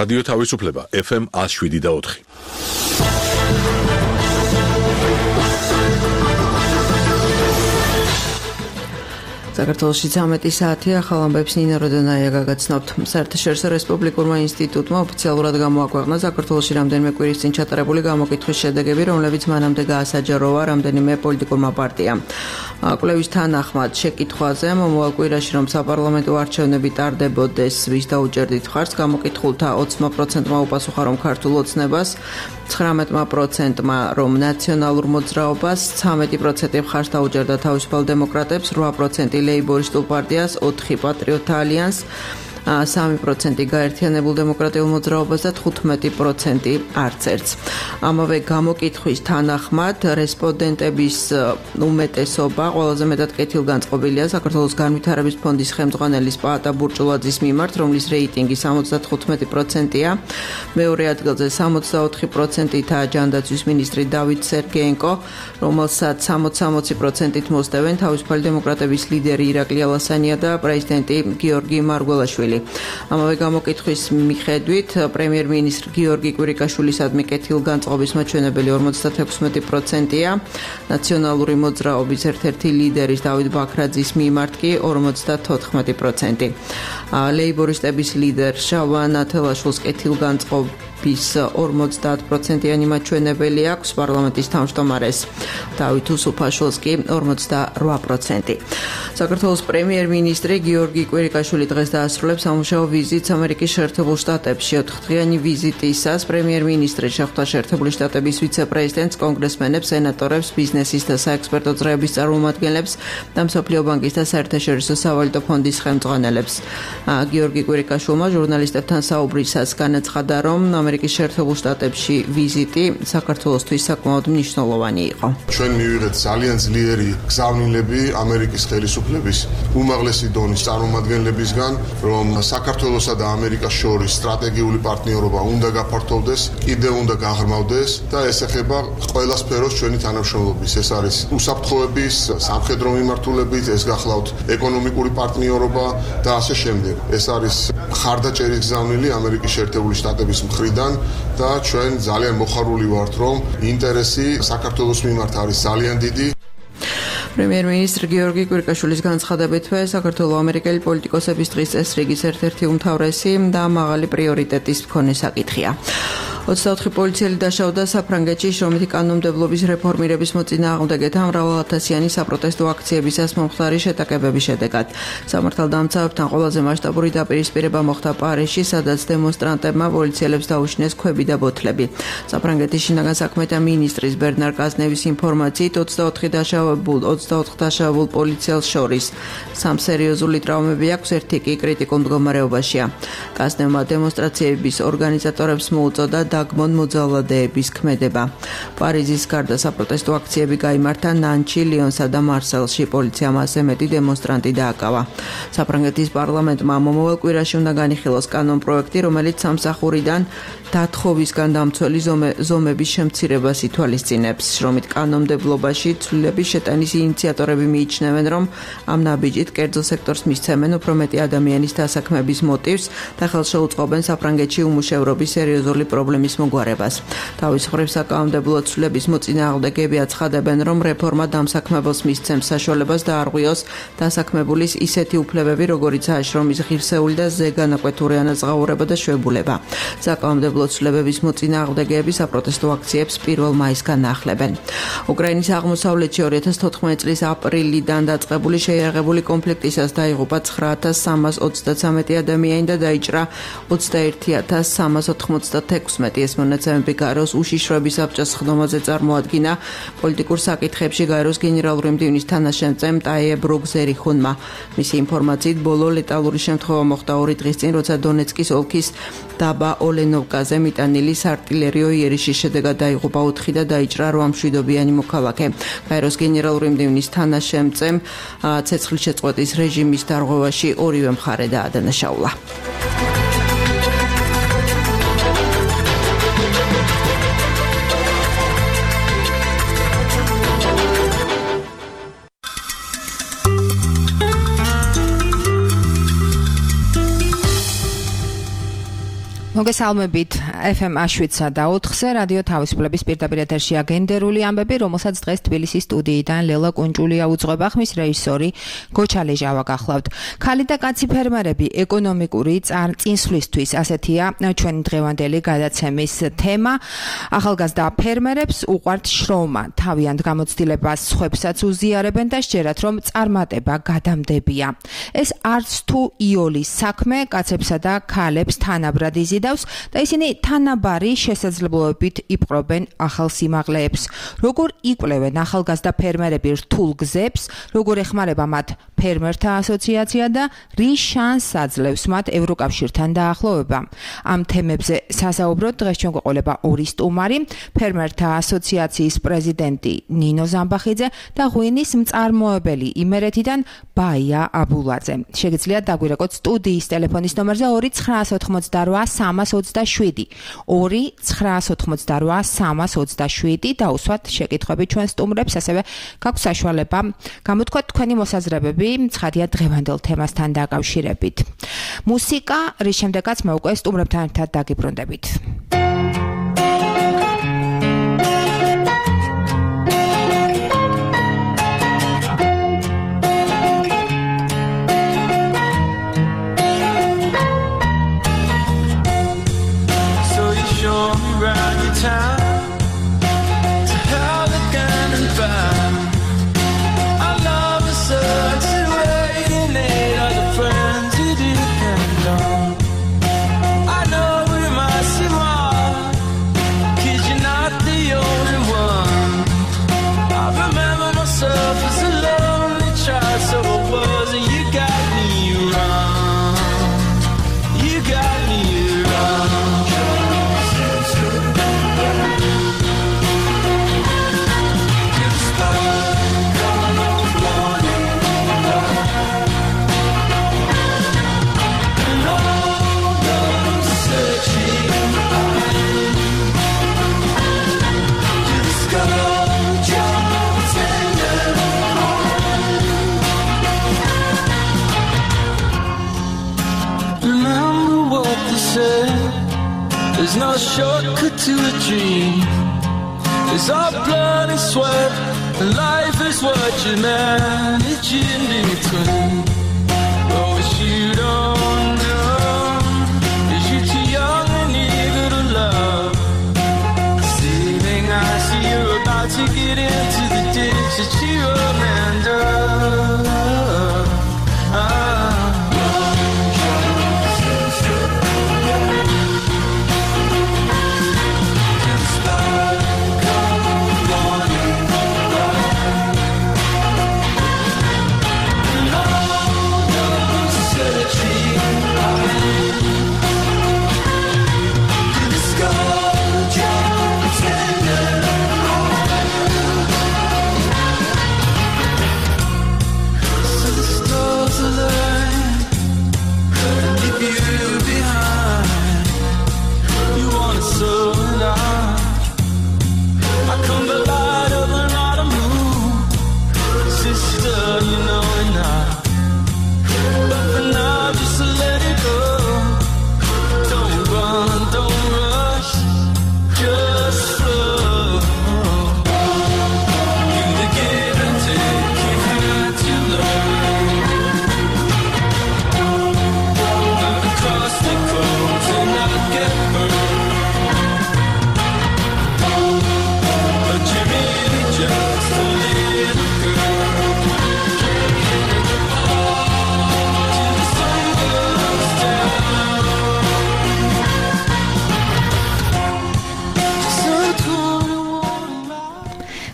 რადიო თავისუფლება FM 107.4. საქართველოში 13 საათია, ახალ ამბებს ნინა როდონაია გაგაცნობთ. საერთაშორისო რესპუბლიკურმა ინსტიტუტმა ოფიციალურად გამოაქვეყნა საქართველოში რამდენიმე კვირის წინ ჩატარებული გამოკითხვის შედეგები, რომლებიც მანამდე გაასაჯაროვა რამდენიმე პოლიტიკურმა პარტიამ. კვლევის თანახმად შეკითხვაზე მომავალ კვირაში რომ საპარლამენტო არჩევნები ტარდებოდეს, ვის დაუჭერდით მხარს, გამოკითხულთა 20%-მა უპასუხა რომ ქართულ ოცნებას, 19%-მა რომ ნაციონალურ მოძრაობას, 13% მხარს დაუჭერდა თავისუფალ დემოკრატებს, 8% ლეიბორისტულ პარტიას, 4 პატრიოტთა ალიანსს, 3% გაერთიანებულ დემოკრატიულ მოძრაობას და 15% არც ერთს. ამავე გამოკითხვის თანახმად რესპონდენტების უმეტესობა ყველაზე მეტად კეთილგანწყობილია საქართველოს განვითარების ფონდის ხელმძღვანელის პაატა ბურჭულაძის მიმართ, რომლის რეიტინგი 75%-ია. მეორე ადგილზე 64%-ითაა ჯანდაცვის მინისტრი დავით სერგეენკო, რომელსაც 60%-ით მოსდევენ თავისუფალი დემოკრატების ლიდერი ირაკლი ალასანია და პრეზიდენტი გიორგი მარგველაშვილი. ამავე გამოკითხვის მიხედვით პრემიერ-მინისტრ გიორგი კვირიკაშვილისადმი კეთილგანწყობის მაჩვენებელი 56%-ია, ნაციონალური მოძრაობის ერთ-ერთი ლიდერის დავით ბაქრაძის მიმართ კი 54%. ლეიბორისტების ლიდერ შალვა ნათელაშვილს კეთილგანწყობის 50%-იანი მაჩვენებელი აქვს, პარლამენტის თავმჯდომარეს დავით უსუფაშვილს კი 48%. საქართველოს პრემიერ-მინისტრი გიორგი კვირიკაშვილი დღეს დაასრულებს სამუშაო ვიზიტს ამერიკის შეერთებულ შტატებში. 4დღიანი ვიზიტისას პრემიერ-მინისტრი შეხვდა შეერთებული შტატების ვიცე-პრეზიდენტს, კონგრესმენებს, სენატორებს, ბიზნესის და საექსპერტო წრეების წარმომადგენლებს და მსოფლიო ბანკის და საერთაშორისო სავალუტო ფონდის ხელმძღვანელებს. გიორგი კვირიკაშვილმა ჟურნალისტებთან საუბრისას განაცხადა, რომ ამერიკის შეერთებულ შტატებში ვიზიტი საქართველოსთვის საკმაოდ მნიშვნელოვანი იყო. ჩვენ მივიღეთ ძალიან ძლიერი გზავნილები ამერიკის ხელისუფლების უმაღლესი დონის წარმომადგენლებისგან, რომ საქართველოსა და ამერიკას შორის სტრატეგიული პარტნიორობა უნდა გაფართოვდეს, კიდევ უნდა გაღრმავდეს და ეს ეხება ყველა სფეროს ჩვენი თანამშრომლობის. ეს არის უსაფრთხოების, სამხედრო მიმართულებით, ეს გახლავთ ეკონომიკური პარტნიორობა და ასე შემდეგ. ეს არის ხარდაჭერის გზავნილი ამერიკის შეერთებული შტატების მხრიდან და ჩვენ ძალიან მოხარული ვართ, რომ ინტერესი საქართველოს მიმართ არის ძალიან დიდი. პრემიერ-მინისტრ გიორგი კვირიკაშვილის განცხადებითვე საქართველო-ამერიკელი პოლიტიკოსების დღის წესრიგის ერთ-ერთი უმთავრესი და მაღალი პრიორიტეტის მქონე საკითხია. 24 პოლიციელი დაშავდა საფრანგეთში შრომითი კანონმდებლობის რეფორმირების მოწინააღმდეგეთა მრავალათასიანი საპროტესტო აქციებისას მომხდარი შეტაკებების შედეგად. სამართალდამცავებთან ყველაზე მასშტაბური დაპირისპირება მოხდა პარიზში, სადაც დემონსტრანტებმა პოლიციელებს დაუშინეს ქვები და ბოთლები. საფრანგეთის შინაგან საქმეთა მინისტრის ბერნარ კაზნევის ინფორმაციით 24 დაშავებულ პოლიციელს შორის 3 სერიოზული ტრავმები აქვს, ერთი კი კრიტიკულ მდგომარეობაშია. კაზნევმა დემონსტრაციების ორგანიზატორებს მოუწოდა დაგმონ მოძალადეების ქმედება. პარიზის გარდა საპროტესტო აქციები გაიმართა ნანჩი, ლიონსა და მარსელში. პოლიციამ ასე მეტი დემონსტრანტი დააკავა. საფრანგეთის პარლამენტმა მომავალ კვირაში უნდა განიხილოს კანონპროექტი, რომელიც სამსახურიდან დათხოვისგან დამცველი ზომების შემცირებას ითვალისწინებს. შრომით კანონმდებლობაში ცვლილების შეტანის ინიციატორები მიიჩნევენ, რომ ამ ნაბიჯით კერძო სექტორს მისცემენ უფრო მეტი ადამიანის დასაქმების მოტივს და ხელს შეუწყობენ საფრანგეთში უმუშევრობის სერიოზული პრობლემის მოგვარებას. თავის მხრივ საკანონმდებლო ცვლილების მოწინააღმდეგეები აცხადებენ, რომ რეფორმა დამსაქმებელს მისცემს საშუალებას დაარღვიოს დასაქმებულის ისეთი უფლებები, როგორიცაა შრომის ღირსეული და ზეგანაკვეთური ანაზღაურება და შვებულება. საკანონმდებლო ცვლილებების მოწინააღმდეგეები საპროტესტო აქციებს 1 მაისგან ახლებენ. უკრაინის აღმოსავლეთში 2014 წლის აპრილიდან დაწყებული შეიარაღებული კონფლიქტისას დაიღუპა 9323 ადამიანი და დაიჭრა 21396. ეს მონაცემები გაეროს უშიშროების საბჭოს ხდომაზე წარმოადგინა პოლიტიკურ საკითხებში გაეროს გენერალური მდივნის თანაშემწემ ტაიე ბროგზერიხუნმა. მისი ინფორმაციით ბოლო ლეტალური შემთხვევა მოხდა 2 დღის წინ, როცა დონეცკის ოლქის დაბა ოლენოვკაზე მიტანილი საარტილერიო იერიშის შედეგად დაიღუპა 4 და დაიჭრა 8 მშვიდობიანი მოქალაქე. გაეროს გენერალური მდივნის თანაშემწემ ცეცხლის შეწყვეტის რეჟიმის დარღვევაში ორივე მხარე დაადანაშაულა. მოგესალმებით FM Ash7-სა და 4-ზე რადიო თავისუფლების პირდაპირ ეთერშია გენდერული ამბები, რომელსაც დღეს თბილისის სტუდიიდან ლელა კუნჭულია უძღვება, ხმის რეჟისორი გოჩა ლეჟავა გახლავთ. ქალი და კაცი ფერმერები ეკონომიკური წინსვლისთვის, ასეთია ჩვენი დღევანდელი გადაცემის თემა. ახალგაზრდა ფერმერებს უყვართ შრომა, თავიანთ გამოცდილებას სხვებსაც უზიარებენ და სჯერათ, რომ წარმატება გადამდებია. ეს არც თუ იოლის საქმე კაცებსა და ქალებს თანაბრად იზიდავს და ისინი თანაბარი შესაძლებლობებით იპყრობენ ახალ სიმაღლეებს. როგორ იკვლევენ ახალგაზრდა ფერმერები რთულ გზებს, როგორ ეხმარება მათ ფერმერთა ასოციაცია და რის შანსს აძლევს მათ ევროკავშირთან დაახლოვება. ამ თემებზე სასაუბროდ დღეს ჩვენ გვეყოლება ორი სტუმარი, ფერმერთა ასოციაციის პრეზიდენტი ნინო ზამბახიძე და ღვინის მწარმოებელი იმერეთიდან ბაია აბულაძე. შეგიძლიათ დაგვირეკოთ სტუდიის ტელეფონის ნომერზე 2-988-327 2-988-327 და უსვათ შეკითხვები ჩვენ სტუმრებს, ასევე გაქვს საშუალება გამოთქვათ თქვენი მოსაზრებები ცხადია დღევანდელ თემასთან დაკავშირებით. მუსიკა, რის შემდეგაც მე უკვე სტუმრებთან ერთად დაგიბრუნდებით. There's no shortcut to a dream. It's all blood and sweat, and life is what you manage in between. But what you don't know is you're too young and eager to love. Saving I see you're about to get into the ditch that you abandoned.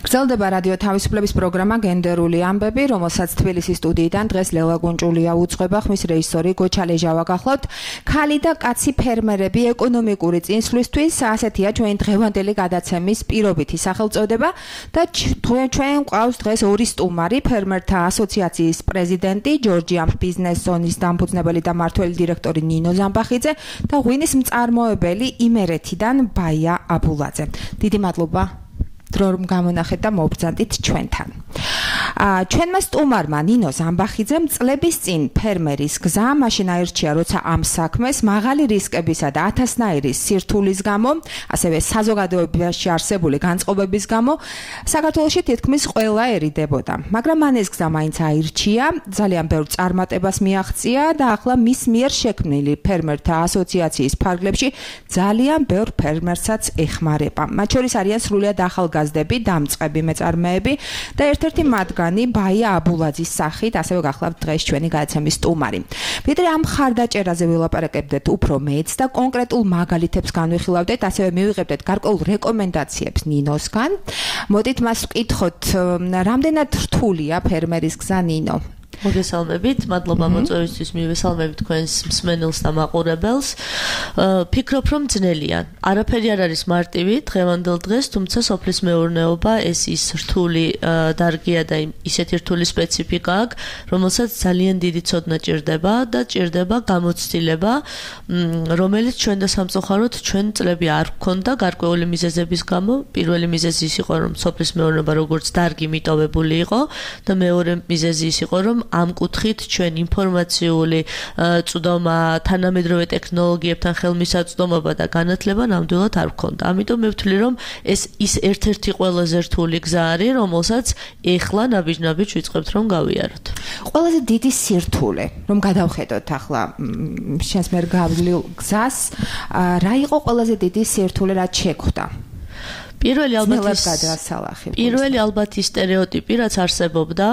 გრძელდება რადიო თავისუფლების პროგრამა გენდერული ამბები, რომელსაც თბილისის სტუდიიდან დღეს ლელა კუნჭულია უძღვება, ხმის რეჟისორი გოჩა ლეჟავა გახლავთ. ქალი და კაცი ფერმერები ეკონომიკური წინსვლისთვის, ასეთია ჩვენი დღევანდელი გადაცემის პირობითი სახელწოდება და ჩვენ გვყავს დღეს ორი სტუმარი, ფერმერთა ასოციაციის პრეზიდენტი, ჯორჯიამ ბიზნეს ზონის დამფუძნებელი და მმართველი დირექტორი ნინო ზამბახიძე და ღვინის მწარმოებელი იმერეთიდან ბაია აბულაძე. დიდი მადლობა რომ გამონახეთ და მობრძანდით ჩვენთან. ჩვენმა სტუმარმა ნინო ზამბახიძემ წლების წინ ფერმერის გზა მაშინ აირჩია, როცა ამ საქმეს მაღალი რისკებისა და ათასნაირი სირთულის გამო, ასევე საზოგადოებაში არსებული განწყობების გამო საქართველოში თითქმის ყველა ერიდებოდა. მაგრამ მან ეს გზა მაინც აირჩია, ძალიან ბევრ წარმატებას მიაღწია და ახლა მის მიერ შექმნილი ფერმერთა ასოციაციის ფარგლებში ძალიან ბევრ ფერმერსაც ეხმარება. მათ შორის არიან სრულიად ახალგაზრდები, დამწყები მეწარმეები და ერთ-ერთი მათგანი ბაია აბულაძის სახით, ასევე გახლავთ დღეს ჩვენი გადაცემის სტუმარი. ვიდრე ამ ხარდაჭერაზე ვილაპარაკებდეთ უფრო მეც და კონკრეტულ მაგალითებს განვიხილავდეთ, ასევე მივიღებდეთ გარკვეულ რეკომენდაციებს ნინოსგან. მოდით მას ვკითხოთ, რამდენად რთულია ფერმერის გზა, ნინო? მოგესალმებით, მადლობა მოწვევისთვის, მივესალმებით თქვენს მსმენელს და მაყურებელს. ფიქრობ, რომ ძნელია. არაფერი არ არის მარტივი დღევანდელ დღეს, თუმცა სოფლის მეურნეობა ეს ის რთული დარგია და ისეთი რთული სპეციფიკა აქვს, რომელსაც ძალიან დიდი ცოდნა ჭირდება და ჭირდება გამოცდილება, რომელიც ჩვენ და სამწუხაროდ ჩვენ წლები არ გვქონდა გარკვეული მიზეზების გამო. პირველი მიზეზი ის იყო, რომ სოფლის მეურნეობა როგორც დარგი მიტოვებული იყო და მეორე მიზეზი ის იყო, რომ ამ კუთხით ჩვენ ინფორმაციული წვდომა, თანამედროვე ტექნოლოგიებთან ხელმისაწვდომობა და განათლება ნამდვილად არ გვქონდა. ამიტომ მე ვთვლი, რომ ეს ის ერთ-ერთი ყველაზე რთული გზა არის, რომელსაც ეხლა ნაბიჯ-ნაბიჯ ვიწყებთ რომ გავიაროთ. ყველაზე დიდი სირთულე, რომ გადავხედოთ ახლა შენს მიერ გავლილ გზას, რა იყო ყველაზე დიდი სირთულე, რაც შეხვდა? პირველი ალბათ ის სტერეოტიპი, რაც არსებობდა,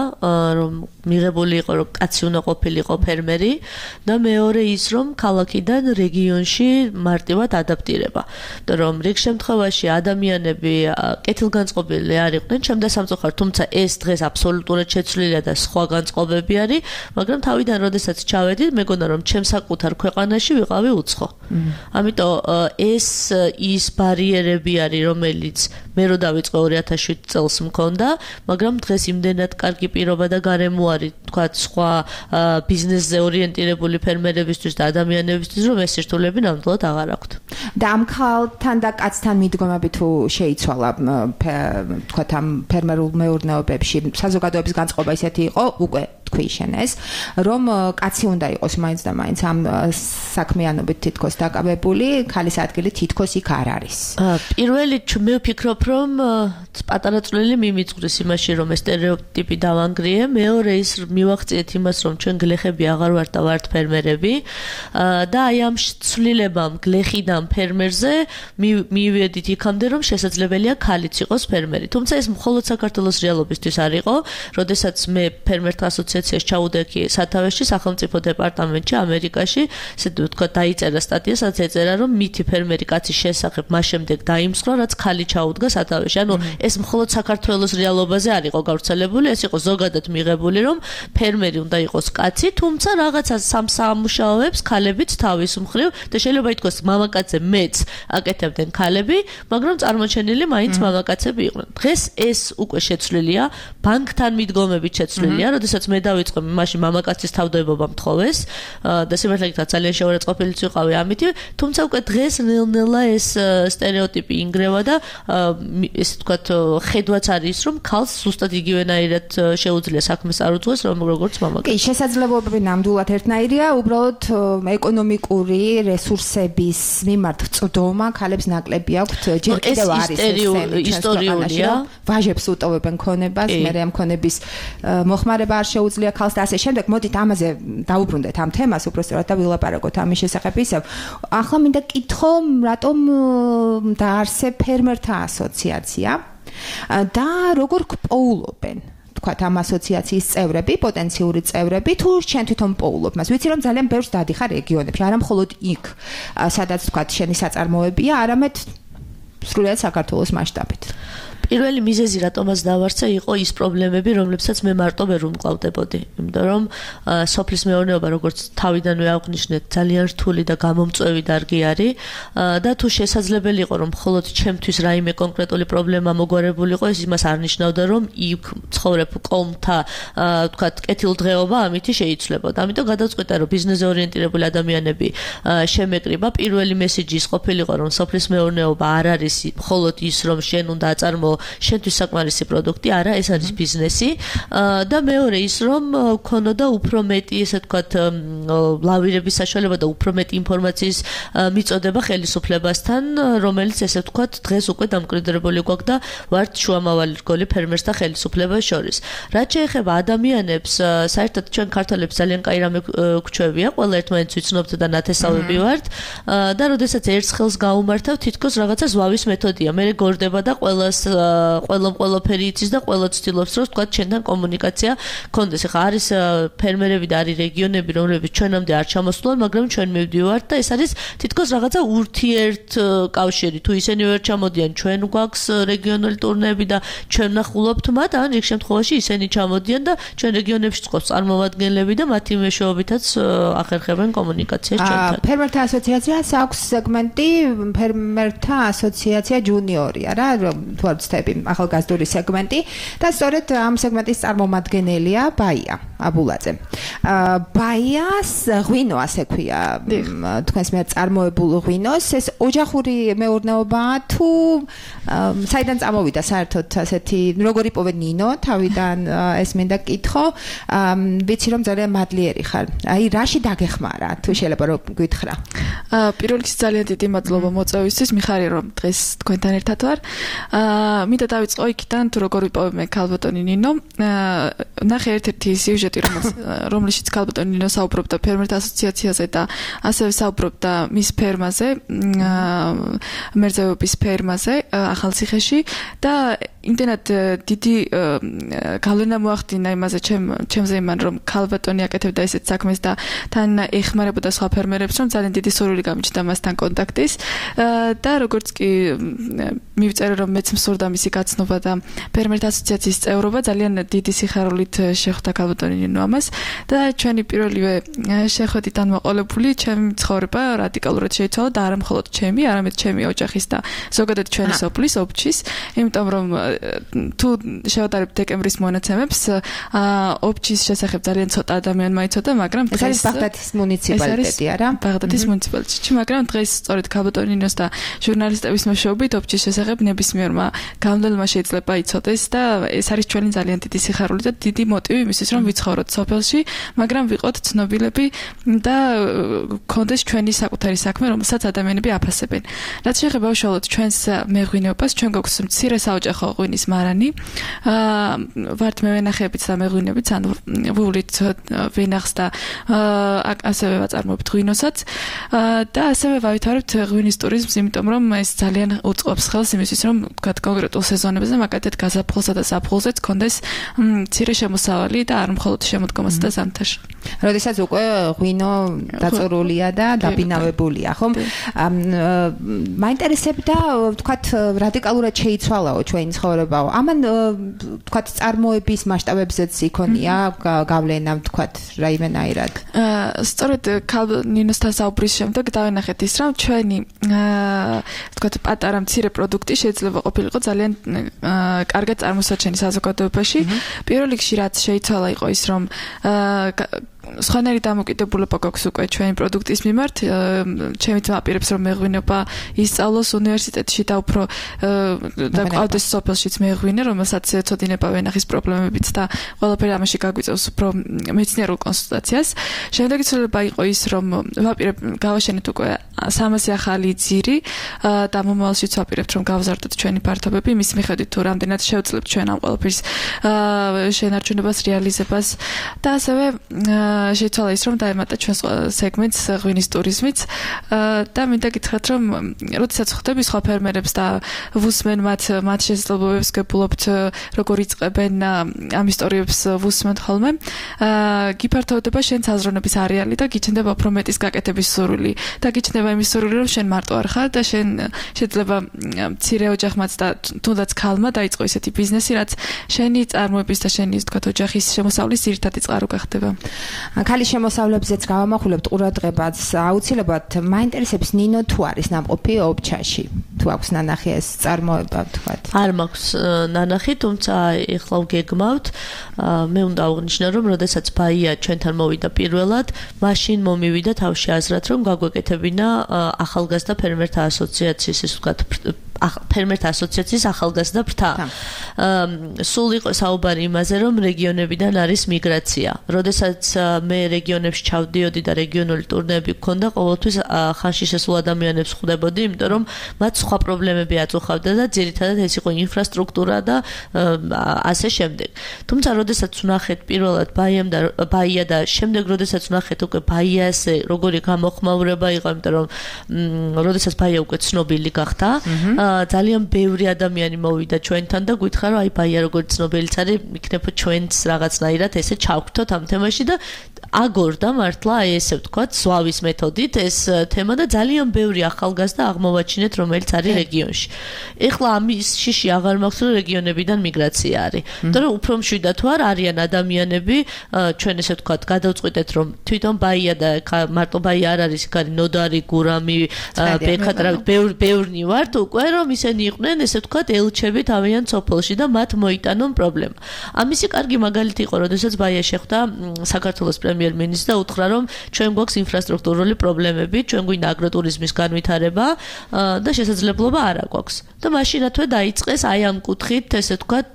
რომ მიღებული იყო, რომ კაცი უნდა ყოფილიყო ფერმერი და მეორე ის, რომ ქალაქიდან რეგიონში მარტივად ადაპტირება. რომ რიგ შემთხვევაში ადამიანები კეთილგანწყობილი არ იყვნენ, ჩემდა სამწუხაროდ, თუმცა ეს დღეს აბსოლუტურად შეცვლილია და სხვა განწყობები არის, მაგრამ თავიდან როდესაც ჩავედი, მეგონა რომ ჩემს საკუთარ ქვეყანაში ვიყავი უცხო. ამიტომ ეს ის ბარიერები არის, რომელიც მე რო დავიწყე 2007 წელს მქონდა, მაგრამ დღეს იმდენად კარგი პირობა და გარემო არის, თქვა სხვა ბიზნესზე ორიენტირებული ფერმერებისთვის და ადამიანებისთვის, რომ ეს სირთულეები ნამდვილად აღარ აქვთ. და ამ ქალთან და კაცთან მიდგომები თუ შეიცვალა, თქვა ამ ფერმერულ მეურნეობებში საზოგადოების განწყობა ისეთი იყო, უკვე თქვი შენ ეს, რომ კაცი უნდა იყოს მაინც და მაინც ამ საქმიანობით თითქოს დაკავებული, ქალის ადგილი თითქოს იქ არ არის. პირველი მე ვფიქრობ, რომ პატარა წვლილი მიმიწვრის იმაში, რომ ეს სტერეოტიპი დავანგრიე, მეორე ის მივახციეთ იმას, რომ ჩვენ გლეხები აღარ ვართ და ვართ ფერმერები და აი ამ ცვლილებამ გლეხიდან ფერმერზე მივედით იქამდე, რომ შესაძლებელია ქალიც იყოს ფერმერი. თუმცა ეს მხოლოდ საქართველოს რეალობისთვის არ იყო, როდესაც მე ფერმერთა ასოციაციას ჩაუდექი სათავეში სახელმწიფო დეპარტამენტში ამერიკაში, ესე ვთქვა, დაიწერა სტატია, სადაც ეწერა, რომ მითი ფერმერი კაცის შესახებ მას შემდეგ დაიმსხვრა, რაც ხალი ჩაუდგა სათავეში. ანუ ეს მხოლოდ საქართველოს რეალობაზე არ იყო გავრცელებული, ეს იყო ზოგადად მიღებული, რომ ფერმერი უნდა იყოს კაცი, თუმცა რაღაცა სამუშაოებს ქალებიც თავის მხრივ და შეიძლება ითქვას მამაკაცზე მეც აკეთებდნენ ქალები, მაგრამ წარმოჩენილი მაინც მამაკაცები იყვნენ. დღეს ეს უკვე შეცვლილია, ბანკთან მიდგომებით შეცვლილია, როდესაც მე დავიწყე მაშინ მამაკაცის თავდაებობა მთხოვეს და სიმართლე გითხრათ ძალიან შეურაცხყოფილიც ვიყავი ამით, თუმცა უკვე დღეს ნელ-ნელა ეს სტერეოტიპი ინგრევა და ესე ვთქვათ, ხედვაც არის, რომ ქალს ზუსტად იგივენაირად შეუძლია საქმეს წარუძღვეს, როგორც მამაკაცს. კი, შესაძლებლობები ნამდვილად ერთნაირია, უბრალოდ ეკონომიკური რესურსების მიმართ წვდომა ქალებს ნაკლები აქვთ, ჯერ კიდევ არის ისტორიულია. ვაჟებს უტოვებენ ქონებას, მერე ამ ქონების მოხმარება არ შეუძლია ქალს და ასე შემდეგ. მოდით ამაზე დაუბრუნდეთ ამ თემას, უბრალოდ და ვილაპარაკოთ ამის შესახებ ისევ. ახლა მინდა კითხო, რატომ დაარსე ფერმერთა ასოციაცია და როგორ გპოულობენ თქვათ ამ ასოციაციის წევრები, პოტენციური წევრები, თუ შენ თვითონ პოულობ მას. ვიცი რომ ძალიან ბევრს დადიხარ რეგიონებში, არა მხოლოდ იქ, სადაც თქვათ შენი საწარმოებია, არამედ სრულიად საქართველოს მასშტაბით. პირველი მიზეზი რატომაც დავარსე იყო ის პრობლემები, რომლებსაც მე მარტო ვერ უმკლავდებოდი. იმიტომ რომ სოფლის მეურნეობა, როგორც თავიდანვე აღვნიშნეთ, ძალიან რთული და გამომწვევი დარგი არის და თუ შესაძლებელი იყო, რომ მხოლოდ ჩემთვის რაიმე კონკრეტული პრობლემა მოგვარებულიყო, ეს იმას არ ნიშნავდა, რომ იქ ცხოვრებ კოლმთა, ვთქვათ, კეთილდღეობა ამით შეიცვლებოდა. ამიტომ გადავწყვიტე, რომ ბიზნესზე ორიენტირებული ადამიანები შემეკრიბა. პირველი მესიჯი ის ყოფილიყო, რომ სოფლის მეურნეობა არ არის მხოლოდ ის, რომ შენ უნდა აწარმოო შენთვის საკმარისი პროდუქტი არა, ეს არის ბიზნესი და მეორე ის რომ ქონოდა უფრო მეტი ესე ვთქვათ ლავირების საშუალება და უფრო მეტი ინფორმაციის მიწოდება ხელისუფლებასთან, რომელიც ესე ვთქვათ დღეს უკვე დამკვიდრებული გვაქვს და ვართ შუამავალი რგოლი ფერმერს და ხელისუფლებას შორის. რაც შეეხება ადამიანებს, საერთოდ ჩვენ ქართველებს ძალიან კაი რამე გვჩვევია, ყველა ერთმანეთს ვიცნობთ და ნათესავები ვართ და როდესაც ერთ ხელს გაუმართავ, თითქოს რაღაცა ზვავის მეთოდია. მე გორდება და ყველაფერი იცის და ყველა ცდილობს რომ ვთქვათ ჩვენთან კომუნიკაცია გქონდეს. ახლა არის ფერმერები და არის რეგიონები, რომლებიც ჩვენამდე არ ჩამოსულან, მაგრამ ჩვენ მივდივართ და ეს არის თითქოს რაღაცა ურთიერთკავშირი. თუ ისინი ვერ ჩამოდიან, ჩვენ გვაქვს რეგიონული ტურნეები და ჩვენ ნახულობთ მათ, ან რიგ შემთხვევაში ისინი ჩამოდიან და ჩვენ რეგიონებში წყობს წარმომადგენლები და მათი მეშვეობითაც ახერხებენ კომუნიკაციას ჩვენთან. ფერმერთა ასოციაციას აქვს სეგმენტი ფერმერთა ასოციაცია ჯუნიორია რა, თუ არ ვცდები, ახალგაზრდული სეგმენტი და სწორედ ამ სეგმენტის წარმომადგენელია ბაია აბულაძე. ბაიას ღვინო ასე ქვია, თქვენს მიერ წარმოებულ ღვინოს, ეს ოჯახური მეურნეობაა თუ საიდან წამოვიდა საერთოდ ასეთი, როგორ იპოვე ნინო თავიდან ეს მინდა კითხო, ვიცი რომ ძალიან მადლიერი ხარ. აი რაში დაგეხმარა, თუ შეიძლება რომ გითხრა. პირველ რიგში ძალიან დიდი მადლობა მოწვევისთვის, მიხარია რომ დღეს თქვენთან ერთად ვარ. მინდა დავიწყო იქიდან თუ როგორ ვიპოვე მე ქალბატონი ნინო. ნახე ერთ-ერთი სიუჟეტი რომლიშიც ქალბატონი ნინო საუბრობდა ფერმერთა ასოციაციაზე და ასევე საუბრობდა მის ფერმაზე, მერძევების ფერმაზე ახალციხეში და იმდენად დიდი გავლენა მოახდინა იმაზე ჩემზე იმან რომ ქალბატონი აკეთებდა ესეთ საქმეს და თან ეხმარებოდა სხვა ფერმერებს რომ ძალიან დიდი სურვილი გამიჩნდა მასთან კონტაქტის და როგორც კი მივწერე რომ მეც მსურდა მისი გაცნობა და ფერმერთა ასოციაციის წევრობა ძალიან დიდი სიხარულით შეხვდა ქალბატონი ნინო ამას და ჩვენი პირველივე შეხვედრიდან მოყოლებული ჩემი ცხოვრება რადიკალურად შეიცვალა და არა მხოლოდ ჩემი, არამედ ჩემი ოჯახის და ზოგადად ჩვენი სოფლის ოფჩის, იმიტომ რომ თუ შევატარებთ დეკემბრის მონაცემებს, ოფჩის შესახებ ძალიან ცოტა ადამიანმა იცოდა, მაგრამ ეს არის ბაღდადის მუნიციპალიტეტი, არა? ბაღდადის მუნიციპალიტეტი, მაგრამ დღეს სწორედ ქალბატონი ნინოს და ჟურნალისტების მეშვეობით ოფჩის შესახებ ნებისმიერმა გამგებლელმა შეიძლება იცოდეს და ეს არის ჩვენი ძალიან დიდი სიხარული და დიდი მოტივი იმისთვის, რომ ვიცხოვროთ სოფელში, მაგრამ ვიყოთ ცნობილები და გქონდეს ჩვენი საკუთარი საქმე, რომელსაც ადამიანები აფასებენ. რაც შეეხება უშუალოდ ჩვენს მეღვინეობას, ჩვენ გვაქვს მცირე საოჯახო ღვინის მარანი. ვართ მევენახეებით და მეღვინეებით, ანუ ვუვლით ვენახს და ასევე ვაწარმოებთ ღვინოსაც და ასევე ვავითარებთ ღვინის ტურიზმს, იმიტომ რომ ეს ძალიან უწყობს ხელს იმისთვის, რომ თქვათ კონკრეტულ სეზონებზე, მაგალითად გაზაფხულსა და ზაფხულზეც გქონდეს მცირე შემოსავალი და არ მხოლოდ შემოდგომასა და ზამთარში. როდესაც უკვე ღვინო დაწურულია და დაბინავებულია, ხომ? მაინტერესებდა, თქვათ, რადიკალურად შეიცვალაო ჩვენი ცხოვრებაო. ამან თქვათ წარმოების მასშტაბებზეც იქონია გავლენა, თქვათ, რაიმენაირად. სწორედ ნინოსთან საუბრის შემდეგ დავენახეთ ის, რომ ჩვენი თქვათ პატარა მცირე პროდუქტი შეიძლება ყოფილიყო ძალიან კარგად წარმოსაჩენი საზოგადოებაში. პირველ რიგში რაც შეიცვალა იყო ის, რომ სხვანაირი დამოკიდებულება გვაქვს უკვე ჩვენი პროდუქტის მიმართ. ჩემი ძმა აპირებს რომ მეღვინეობა ისწავლოს უნივერსიტეტში და უფრო და ყავდეს სოფელშიც მეღვინე, რომელსაც ეცოდინება ვენახის პრობლემებიც და ყველაფერი ამაში გაგვიწევს უფრო მეცნიერულ კონსულტაციას. შემდეგი ცვლილება იყო ის, რომ ვაპირებ გავაშენეთ უკვე 300 ახალი ძირი და მომავალშიც ვაპირებთ რომ გავზარდოთ ჩვენი ფართობები, მის მიხედვით თუ რამდენად შევძლებთ ჩვენ ამ ყველაფრის შენარჩუნებას, რეალიზებას და ასევე შეიცვალა ის, რომ დაემატა ჩვენს სეგმენტს ღვინის ტურიზმიც და მინდა გითხრათ, რომ როდესაც ხვდები სხვა ფერმერებს და ვუსმენ მათ შესაძლებლობებს, გებულობთ როგორ იწყებენ ამ ისტორიებს ვუსმენ ხოლმე, გიფართოვდება შენს აზროვნების არეალი და გიჩნდება უფრო მეტის გაკეთების სურვილი და გიჩნდება იმის სურვილი, რომ შენ მარტო არ ხარ და შენ შეიძლება მცირე ოჯახმაც და თუნდაც ქალმა დაიწყო ისეთი ბიზნესი, რაც შენი წარმოების და შენი თქვათ ოჯახის შემოსავლის ძირითადი წყარო გახდება. ქალის შემოსავლებზეც გავამახვილებთ ყურადღებას. აუცილებლად მაინტერესებს ნინო თუ არის ნამყოფი ობჩაში. თუ აქვს ნანახი ეს წარმოება თქვათ. არ მაქვს ნანახი, თუმცა ეხლა ვგეგმავთ. მე უნდა აღნიშნო, რომ როდესაც ბაია ჩვენთან მოვიდა პირველად, მაშინ მომივიდა თავში აზრად, რომ გაგვეკეთებინა ახალგაზრდა ფერმერთა ასოციაციის, ესე ვთქვათ, ფერმერთა ასოციაციის ახალგაზრდა ფრთა. სულ იყო საუბარი იმაზე, რომ რეგიონებიდან არის მიგრაცია. როდესაც მე რეგიონებში ჩავდიოდი და რეგიონული ტურნეები გქონდა, ყოველთვის ხანში შესულ ადამიანებს ხვდებოდი, იმიტომ რომ მათ სხვა პრობლემები აწუხავდა და ძირითადად ეს იყო ინფრასტრუქტურა და ასე შემდეგ. თუმცა როდესაც ვნახეთ პირველად ბაია და შემდეგ როდესაც ვნახეთ უკვე ბაიაზე როგორი გამოხმაურება იყო, იმიტომ რომ როდესაც ბაია უკვე ცნობილი გახდა, ძალიან ბევრი ადამიანი მოვიდა ჩვენთან და გითხრა რომ აი ბაია როგორც ცნობილიც არის, იქნებ ჩვენც რაღაცნაირად ესე ჩავგვთოთ ამ თემაში და აგორდა მართლა აი ესე ვთქვათ, ზვავის მეთოდით ეს თემა და ძალიან ბევრი ახალგაზრდა აღმოვაჩინეთ, რომელიც არის რეგიონში. ეხლა ამის შიში აღარ მაქვს, რომ რეგიონებიდან მიგრაცია არის. იმიტომ რომ უფრო მშვიდად თუ არ არიან ადამიანები, ჩვენ ესე ვთქვათ, გადავწყვიტეთ, რომ თვითონ ბაია და მარტო ბაია არ არის, იქ არის ნოდარი, გურამი, ბექატრა, ბევრნი ვართ უკვე, რომ ისინი იყვნენ, ესე ვთქვათ, ელჩები თავიანთ სოფელში და მათ მოიტანონ პრობლემა. ამისი კარგი მაგალითი იყო, როდესაც ბაია შეხვდა საქართველოს პრემიერ-მინისტრს და უთხრა, რომ ჩვენ გვაქვს ინფრასტრუქტურული პრობლემები, ჩვენ გვინდა აგროტურიზმის განვითარება და შესაძლებლობა არ აქვს. და მაშინათვე დაიწყეს აი ამ კუთხით, ესე ვთქვათ,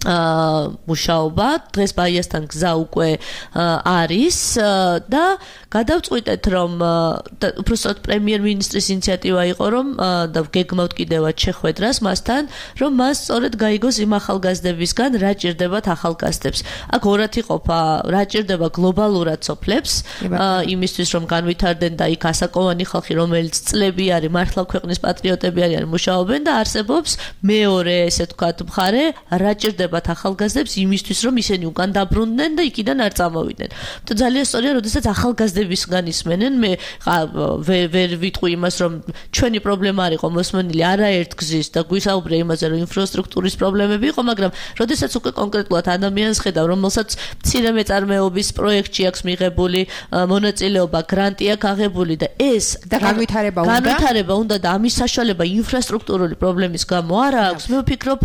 მუშაობა. დღეს ბაიასთან გზა უკვე არის და გადავწყვიტეთ, რომ უბრალოდ პრემიერ-მინისტრის ინიციატივა იყო, რომ და გეგმავთ კიდევაც შეხვედრას მასთან, რომ მას სწორედ გაიგოს იმ ახალგაზრდებისგან, რა ჭირდებათ ახალგაზრდებს. აქ ორად იყოფა, რა ჭირდება გლობალურად სოფლებს, იმისთვის რომ განვითარდნენ და იქ ასაკოვანი ხალხი, რომელიც წლები არის, მართლა ქვეყნის პატრიოტები არიან, მუშაობენ და არსებობს მეორე, ესე ვთქვათ, მხარე, რა ჭირდებათ ახალგაზრდებს იმისთვის, რომ ისინი უკან დაბრუნდნენ და იქიდან არ წამოვიდნენ. და ძალიან სწორია, როდესაც ახალგაზრდებისგან ისმენენ, მე ვერ ვიტყვი იმას, რომ ჩვენი პრობლემა არ იყო მოსმენილი არაერთ გზის და გვისაუბრე იმაზე, რომ ინფრასტრუქტურის პრობლემები იყო, მაგრამ როდესაც უკვე კონკრეტულად ადამიანს ხედავ, რომელსაც მცირე მეწარმეობის პროექტი აქვს მიღებული, მონაწილეობა, გრანტი აქვს აღებული და ეს და განვითარება უნდა და ამის საშუალება ინფრასტრუქტურული პრობლემის გამო არ აქვს. მე ვფიქრობ,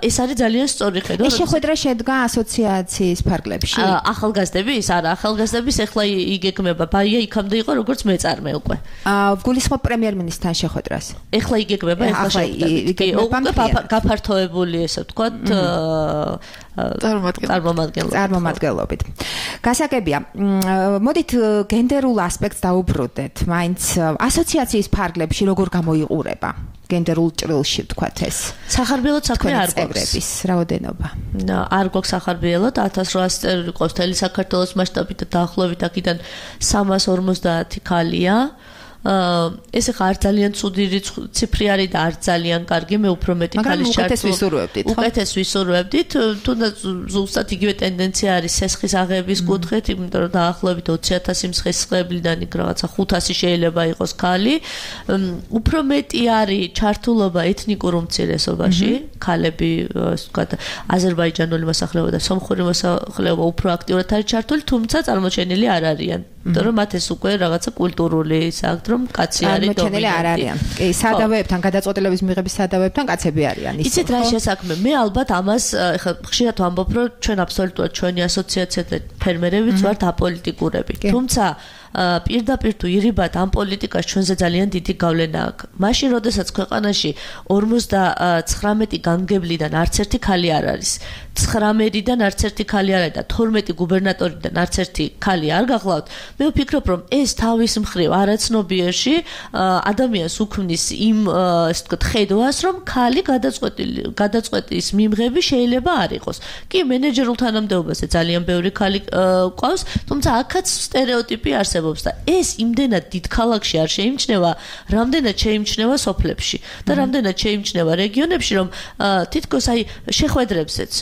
ეს არის ძალიან სწორი ხედვა. ეს შეხვედრა შედგა ასოციაციის ფარგლებში? ახალგაზრდების, არა, ახალგაზრდების ეხლა იგეგმება. ბაია იქამდე იყო როგორც მეწარმე უკვე. გულისხმობ პრემიერ-მინისტრთან შეხვედრას. ეხლა იგეგმება, ეხლა შეხვედრა. გაფართოებული, ესე ვთქვათ, წარმომადგენლობით. გასაგებია. მოდით გენდერულ ასპექტს დაუბრუნდეთ. მაინც ασოციაციის ფარგლებში როგორ გამოიყურება? გენდერულ ჭრილში ვთქვათ ეს. სახარბიელოდ საქმე არ გვაქვს. წევრების რაოდენობა. არ გვაქვს სახარბიელოდ 1800 წევრი ყავს მთელი საქართველოს მასშტაბით და დაახლოებით აქედან 350 ქალია. ეს ახლა არ ძალიან ცუდი ციფრი არის და არ ძალიან კარგი, მე უფრო მეტი ქალის ჩართულ. უკეთეს ვისურვებდით, თუნდაც ზუსტად იგივე ტენდენცია არის სესხის აღების კუთხით, იმიტომ რომ დაახლოებით 20000 მსხლისღებლიდან იქ რაღაცა 500 შეიძლება იყოს ქალი. უფრო მეტი არის ჩართულობა ეთნიკურ უმცირესობაში, ქალები, ასე ვთქვათ, აზერბაიჯანული მოსახლეობა და სომხური მოსახლეობა უფრო აქტიურად არის ჩართული, თუმცა წარმოჩენილი არ არიან. იმიტომ რომ მათ ეს უკვე რაღაცა კულტურული საქმე რომ კაცი არის დომინანტი. არ არიან. კი, სადავეებთან, გადაწყვეტილების მიღების სადავეებთან კაცები არიან. იცით რა შესაქმე? მე ალბათ ამას ეხლა ხშირად ვამბობ, რომ ჩვენ აბსოლუტურად ჩვენი ასოციაცია და ფერმერებიც ვართ აპოლიტიკურები. თუმცა პირდაპირ თუ ირიბად ამ პოლიტიკას ჩვენზე ძალიან დიდი გავლენა აქვს. მაშინ, როდესაც ქვეყანაში 59 გამგებლიდან არც ერთი ქალი არ არის. 19-დან არც ერთი ქალი არ არის და 12 გუბერნატორიდან არც ერთი ქალი არ გახლავთ. მე ვფიქრობ, რომ ეს თავის მხრივ არაცნობიერში ადამიანს უქმნის იმ, ასე ვთქვათ, ხედვას, რომ ქალი გადაწყვეტის მიმღები შეიძლება არ იყოს. კი, მენეჯერულ თანამდებობაზე ძალიან ბევრი ქალი ყავს, თუმცა აქაც სტერეოტიპი არსებობს და ეს იმდენად დიდ ქალაქში არ შეიმჩნევა, რამდენად შეიმჩნევა სოფლებში და რამდენად შეიმჩნევა რეგიონებში, რომ თითქოს აი შეხვედრებზეც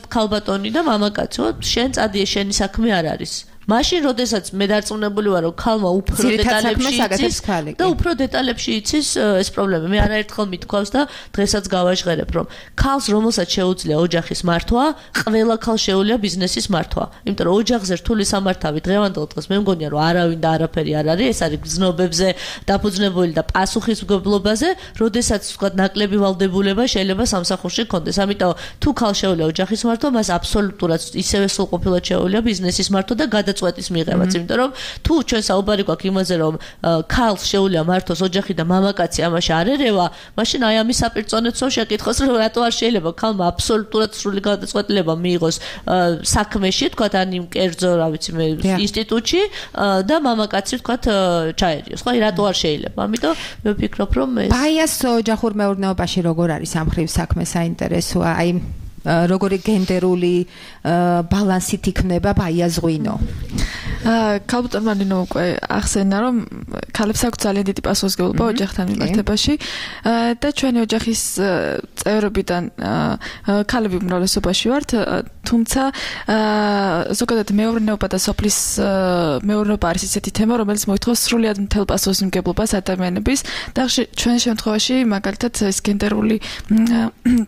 ქალბატონი და მამაკაცო, შენ წადიე, შენი საქმე არ არის. მაშინ როდესაც მე დარწმუნებული ვარ რომ ქალმა უფრო დეტალებში იცის და უფრო დეტალებში იცის ეს პრობლემა მე არაერთხელ მithქვავს და დღესაც გავაჟღერებ რომ ქალს რომელსაც შეუძლია ოჯახის მართვა ყველა ქალს შეუძლია ბიზნესის მართვა იმიტომ რომ ოჯახზე რთული სამართავი დღევანდელ დღეს მე მგონია რომ არავინ და არაფერი არ არის ეს არის გზნობებზე დაფუძნებული და პასუხისმგებლობაზე როდესაც თქვა ნაკლები ვალდებულება შეიძლება სამსახურში გქონდეს ამიტომ თუ ქალს შეუძლია ოჯახის მართვა მას აბსოლუტურად ისევე სრულყოფილად შეუძლია ბიზნესის მართვა და გადაწყვეტის მიღებაც იმიტომ რომ თუ ჩვენ საუბარი გვაქვს იმაზე რომ ქალს შეუძლია მართოს ოჯახი და მამაკაცი ამაში არ ერევა მაშინ აი ამის საპირწონეც შეკითხოს რომ რატო არ შეიძლება ქალმა აბსოლუტურად სრული გადაწყვეტილება მიიღოს საქმეში თქვა ან იმ კერძო რა ვიცი მე ინსტიტუტში და მამაკაცი თქვა ჩაერიოს ხო აი რატო არ შეიძლება ამიტომ მე ვფიქრობ რომ ეს ბაიას ოჯახურ მეურნეობაში როგორ არის ამ ხრივ საქმე საინტერესოა აი როგორი გენდერული ბალანსით იქნება ბაიაზღვინო ქალბატონმა ნინო უკვე ახსენა რომ ქალებს აქვს ძალიან დიდი პასუხისმგებლობა ოჯახთან მიმართებაში და ჩვენი ოჯახის წევრებიდან ქალები უმრავლესობაში ვართ თუმცა ზოგადად მეურნეობა და სოფლის მეურნეობა არის ისეთი თემა რომელიც მოითხოვს სრულიად მთელ პასუხისმგებლობას ადამიანების და ჩვენ შემთხვევაში მაგალითად ეს გენდერული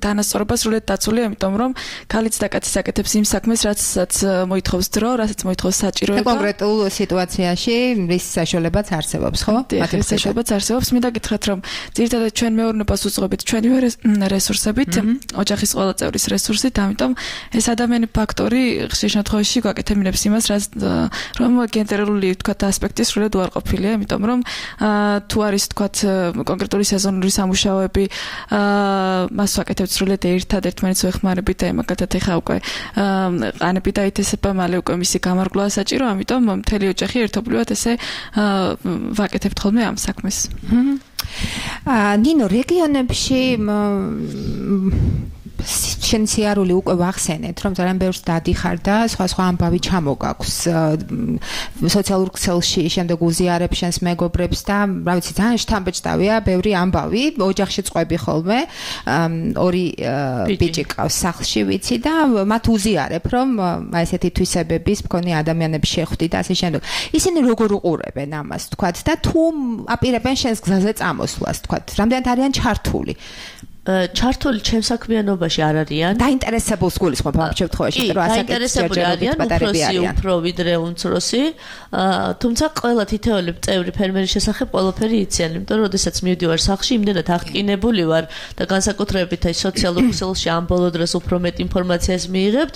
დანასწორობა სრულიად დაცული ამიტომ რომ ქალიც და კაციც აკეთებს იმ საქმეს რასაც მოითხოვს დრო რასაც მოითხოვს საჭიროება კონკრეტულ სიტუაციაში რის საშუალებაც არსებობს ხო? მათი საშუალებაც არსებობს. მინდა გითხრათ რომ ძირითადად ჩვენ მეურნეობას უძღვებით ჩვენი რესურსებით, ოჯახის ყველა წევრის რესურსით, ამიტომ ეს ადამიანი ფაქტორი ხშირ შემთხვევაში გვაკეთებინებს იმას, რომ გენდერული თქვათ ასპექტი სრულად უარყოფილია, იმიტომ რომ თუ არის თქვათ კონკრეტული სეზონური სამუშაოები, მას ვაკეთებთ სრულად ერთად ერთმანეთს ვეხმარებით და მაგათაც ეხა უკვე ყანები დაითესება, მალე უკვე მისი გამარგვლაა საჭირო, ამიტომ მთელი ოჯახი ერთობლივად ესე ვაკეთებთ ხოლმე ამ საქმეს. ნინო, რეგიონებში შენ სიარული უკვე ვახსენეთ, რომ ძალიან ბევრს დადიხარ და სხვა ამბავი ჩამოგაქვს სოციალურ ქსელში, შემდეგ უზიარებ შენს მეგობრებს და რა ვიცი, ძალიან შთამბეჭდავია, ბევრი ამბავი, ოჯახში წყვები ხოლმე, ორი ბიჭი ყავს სახლში, ვიცი და მათ უზიარებ, რომ აი ესეთი თვისებების მქონე ადამიანები შეხვდი და ასე შემდეგ. ისინი როგორ უყურებენ ამას, თქვათ და თუ აპირებენ შენს გზაზე წამოსვლას, თქვათ, რამდენად არიან ჩართული? ჩართული ჩემს საქმიანობაში არ არიან. დაინტერესებულს გულისხმობ ამ შემთხვევაში, რომ დაინტერესებული არიან, უფრო ვიდრე უმცროსი. თუმცა ყველა თითოეული წევრი ფერმერის შესახებ ყველაფერი იციან, იმიტომ რომ შესაძაც მივდივარ სახლში, იმდენად აღტკინებული ვარ და განსაკუთრებით აი სოციალურ ქსელში ამ ბოლო დროს უფრო მეტ ინფორმაციას მიიღებთ.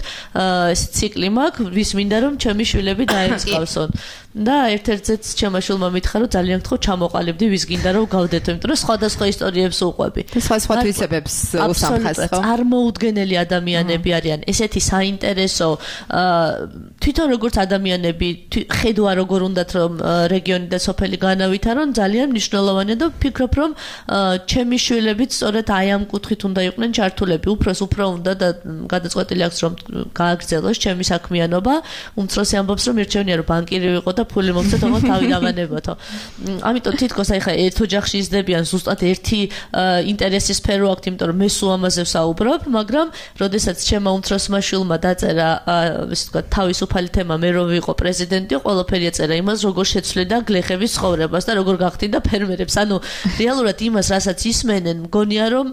ეს ციკლი მაქვს, ვის მინდა რომ ჩემი შვილები დაემსგავსონ. და ერთ-ერთზეც ჩემმა შვილმა მითხრა რომ ძალიან გთხოვ ჩამოყალიბდი ვის გინდა რომ გავდეთო, იმიტომ რომ სხვადასხვა ისტორიებს უყვები. სხვა თვისებებს უსამხას ხო? წარმოუდგენელი ადამიანები არიან, ესეთი საინტერესო თვითონ როგორც ადამიანები ხედვა როგორ უნდათ რომ რეგიონი და სოფელი განავითარონ, ძალიან მნიშვნელოვანია და ვფიქრობ რომ ჩემი შვილებიც სწორედ აი ამ კუთხით უნდა იყვნენ ჩართულები, უფროს უფრო უნდა და გადაწყვეტილი აქვს რომ გააგრძელოს ჩემი საქმიანობა, უმცროსი ამბობს რომ მირჩევნია რომ ბანკირი ვიყო და ფული მოგცე თქო თავი დავანებოთო. ამიტომ თითქოს აი ხა ერთ ოჯახში იზრდებიან ზუსტად ერთი ინტერესის სფერო აქვს, იმიტომ რომ მე სულ ამაზე ვსაუბრობ, მაგრამ როდესაც ჩემმა უმცროსმა შვილმა დაწერა, ესე ვთქვათ, თავისუფალი თემა მე რომ ვიყო პრეზიდენტი, ყველაფერი ეწერა იმას, როგორ შეცვლიდა გლეხების ცხოვრებას და როგორ გახდინდა ფერმერებს. ანუ რეალურად იმას, რასაც ისმენენ, მგონია რომ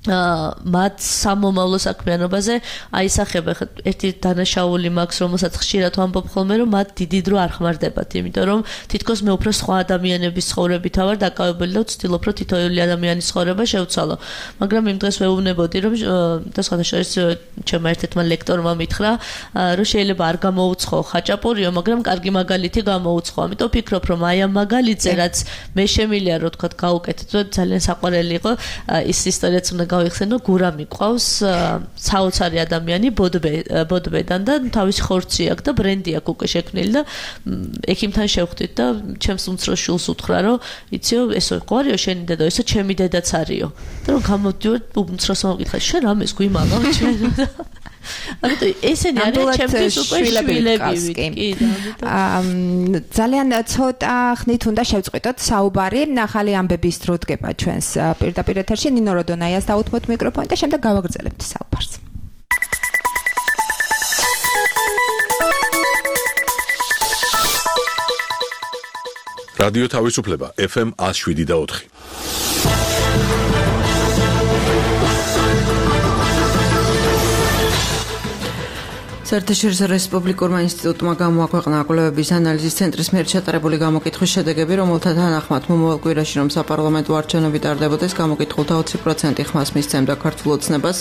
მათ სამომავლო საქმიანობაზე აისახება. ერთი დანაშაული მაქვს, რომელსაც ხშირად ვამბობ ხოლმე, რომ მათ დიდი დრო არ ხმარდებათ, იმიტომ რომ თითქოს მე უფრო სხვა ადამიანების ცხოვრებით ვარ დაკავებული და ვცდილობ, რომ თითოეული ადამიანის ცხოვრება შევცვალო. მაგრამ იმ დღეს ვეუბნებოდი, რომ და სხვადასხვა ჩემმა ერთ-ერთმა ლექტორმა მითხრა, რომ შეიძლება არ გამოუცხო ხაჭაპურიო, მაგრამ კარგი მაგალითი გამოუცხო. ამიტომ ვფიქრობ, რომ აი ამ მაგალითზე, რაც მე შემიძლია რომ თქვა გავუკეთეთ, რომ ძალიან საყვარელი იყო ის ისტორიაც უნდა გავიხსენო, გურა მიყვავს საოცარი ადამიანი ბოდბედან და თავის ხორცი აქვს და ბრენდი აქვს უკვე შექმნილი და ექიმთან შევხვდით და ჩემს უმცროს შვილს უთხრა რომ იციო ესო ყარიო შენი დედა ესო ჩემი დედაც არისო და რომ გამოდივარ უმცროსმა მოკითხა შენ რამეს გვიმაღავ ჩვენ ამიტომ ესენი არის ჩემთვის უკვე შვილები ძალიან ცოტა ხნით უნდა შევწყვიტოთ საუბარი ახალი ამბების დრო დგება ჩვენს პირდაპირ ეთერში ნინო როდონაიას დაუთმოთ მიკროფონი და შემდეგ გავაგრძელებთ საუბარს რადიო თავისუფლება FM 107.4. საერთაშორისო რესპუბლიკურმა ინსტიტუტმა გამოაქვეყნა კვლევების ანალიზის ცენტრის მიერ ჩატარებული გამოკითხვის შედეგები, რომელთა თანახმად მომავალ კვირაში რომ საპარლამენტო არჩევნები ტარდებოდეს, გამოკითხულთა 20% ხმას მისცემდა ქართულ ოცნებას,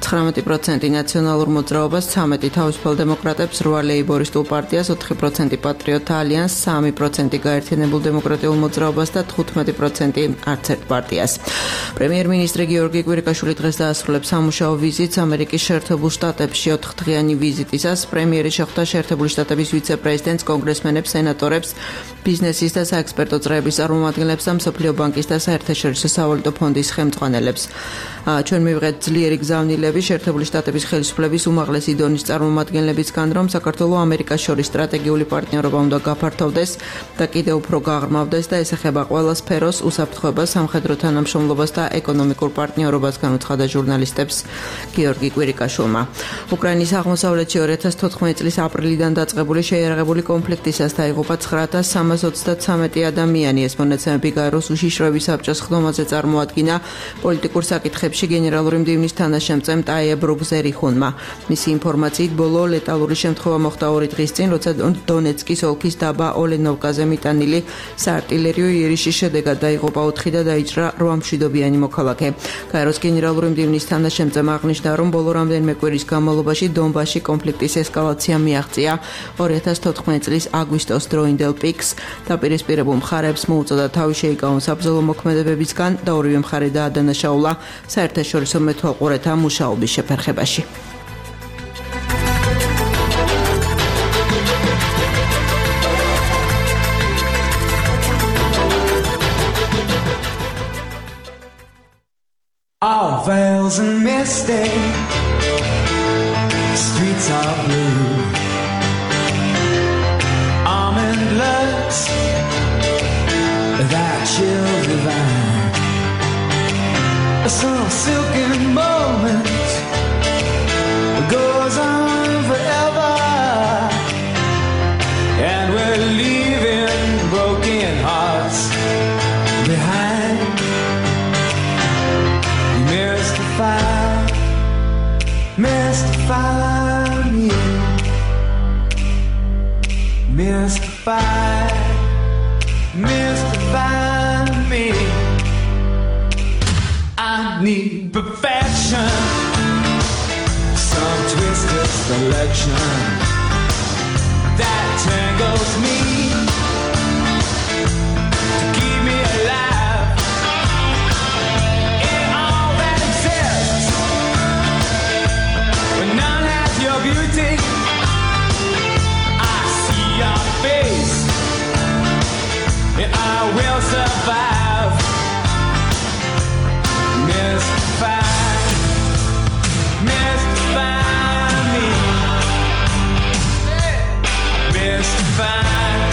19% ნაციონალურ მოძრაობას, 13% თავისუფალ დემოკრატებს, 8% ლეიბორისტულ პარტიას, 4% პატრიოტთა ალიანსს, 3% გაერთიანებულ დემოკრატიულ მოძრაობას და 15% არც ერთ პარტიას. პრემიერ-მინისტრი გიორგი კვირიკაშვილი დღეს დაასრულებს სამუშაო ვიზიტს ამერიკის შეერთებულ შტატებში 4 დღიანი ვიზიტისას. პრემიერი შეხვდა შეერთებული შტატების ვიცე-პრეზიდენტს, კონგრესმენებს, სენატორებს, ბიზნესის და საექსპერტო წრეების წარმომადგენლებს და მსოფლიო ბანკის და საერთაშორისო სავალუტო ფონდის ხელმძღვანელებს. ჩვენ მივიღეთ ძლიერი გზავნილები შეერთებული შტატების ხელისუფლების უმაღლესი დონის წარმომადგენლებისგან, რომ საქართველოს ამერიკას შორის სტრატეგიული პარტნიორობა უნდა გაფართოვდეს და კიდევ უფრო გაღრმავდეს და ესახება ყველა სფეროს, უსაფრთხოებას, სამხედრო თანამშრომლობას და ეკონომიკურ პარტნიორობას, განუცხადა ჟურნალისტებს გიორგი კვირიკაშვილმა. უკრაინის აღმოსავლეთში 2014 წლის აპრილიდან დაწყებული შეიარაღებული კონფლიქტისას დაიღუპა 9333 ადამიანი. ეს მონაცემები გაეროს უშიშროების საბჭოს ხდომაზე წარმოადგინა პოლიტიკურ საკითხებში გენერალური მდივნის თანაშემწემ ტაია ბრუგზერიხუნმა. მისი ინფორმაციით, ბოლო ლეტალური შემთხვევა მოხდა 2 დღის წინ, როცა დონეცკის ოლქის დაბა ოლენოვკაზე მიტანილი საარტილერიო იერიშის შედეგად დაიღუპა 4 და დაიჭრა 8 მშვიდობიანი მოქალაქე. გაეროს გენერალური მდივნის თანაშემწემ აღნიშნა, რომ ბოლო რამდენიმე კვირის განმავლობაში დონბასში კონფლიქტის ესკალაცია მიაღწია. 2014 წლის აგვისტოს დროინდელ პიკს დაპირისპირებულ მხარებს მოუწოდა თავი შეიკავონ საბრძოლო მოქმედებებისგან და ორივე მხარე დაადანაშაულა საერთაშორისო მეთვალყურეთა მუშაობის შეფერხებაში. All veils and misty, streets are blue. Almond looks that chill divine. Some silken moment goes on forever, and we're leaving broken hearts behind. Mystify me, mystify me. I need perfection, some twisted selection that tangles me to keep me alive in all that exists. When none has your beauty, I see your face, and I will survive. Mystify, mystify me, mystify.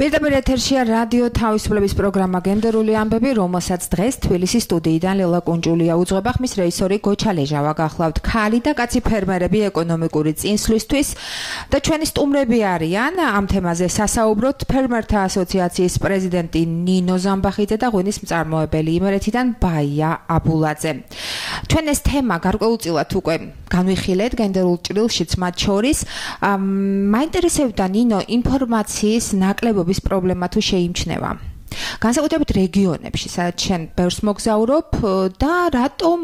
პირდაპირ ეთერშია რადიო თავისუფლების პროგრამა გენდერული ამბები, რომელსაც დღეს თბილისის სტუდიიდან ლელა კუნჭულია უძღვება, ხმის რეჟისორი გოჩა ლეჟავა გახლავთ. ქალი და კაცი ფერმერები ეკონომიკური წინსვლისთვის და ჩვენი სტუმრები არიან ამ თემაზე სასაუბროთ ფერმერთა ასოციაციის პრეზიდენტი ნინო ზამბახიძე და ღვინის მწარმოებელი იმერეთიდან ბაია აბულაძე. ჩვენ ეს თემა გარკვეულწილად უკვე განვიხილეთ გენდერულ ჭრილშიც მათ შორის. მაინტერესებდა ნინო ინფორმაციის ნაკლებობის პრობლემა თუ შეიმჩნევა. განსაკუთრებით რეგიონებში, სადაც შენ ბევრს მოგზაურობ და რატომ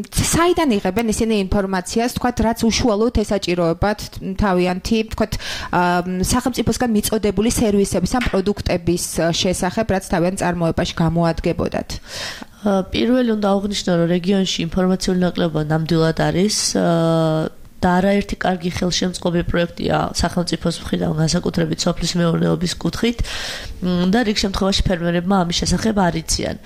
საიდან იღებენ ისინი ინფორმაციას, თქვათ, რაც უშუალოდ ესაჭიროებათ თავიანთი, თქვათ, სახელმწიფოსგან მიწოდებული სერვისების ან პროდუქტების შესახებ, რაც თავიანთ წარმოებაში გამოადგებოდათ. პირველი უნდა აღვნიშნო, რომ რეგიონში ინფორმაციული ნაკლებობა ნამდვილად არის და არაერთი კარგი ხელშემწყობი პროექტია სახელმწიფოს მხრიდან, განსაკუთრებით სოფლის მეურნეობის კუთხით და რიგ შემთხვევაში ფერმერებმა ამის შესახებ არ იციან.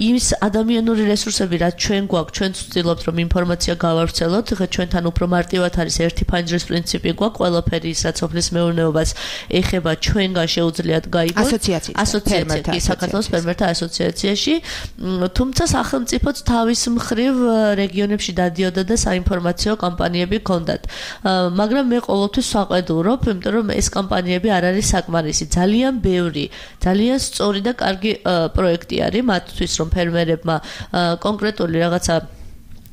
ის ადამიანური რესურსები, რაც ჩვენ გვაქვს, ჩვენ ვცდილობთ, რომ ინფორმაცია გავავრცელოთ, ხა ჩვენთან უფრო მარტივად არის ერთი ფანჯრის პრინციპი გვაქვს, ყველაფერი ის, რაც სოფლის მეურნეობას ეხება, ჩვენგან შეუძლიათ გაიგოთ ასოციაციაში, საქართველოს ფერმერთა ასოციაციაში, თუმცა სახელმწიფოც თავის მხრივ რეგიონებში დადიოდა და საინფორმაციო კამპანიები კონდათ. მაგრამ მე ყოველთვის ვაყედურობ, იმიტომ რომ ეს კამპანიები არ არის საკმარისი. ძალიან ბევრი, ძალიან სწორი და კარგი პროექტი არის მათთვის, რომ ფერმერებმა კონკრეტული რაღაცა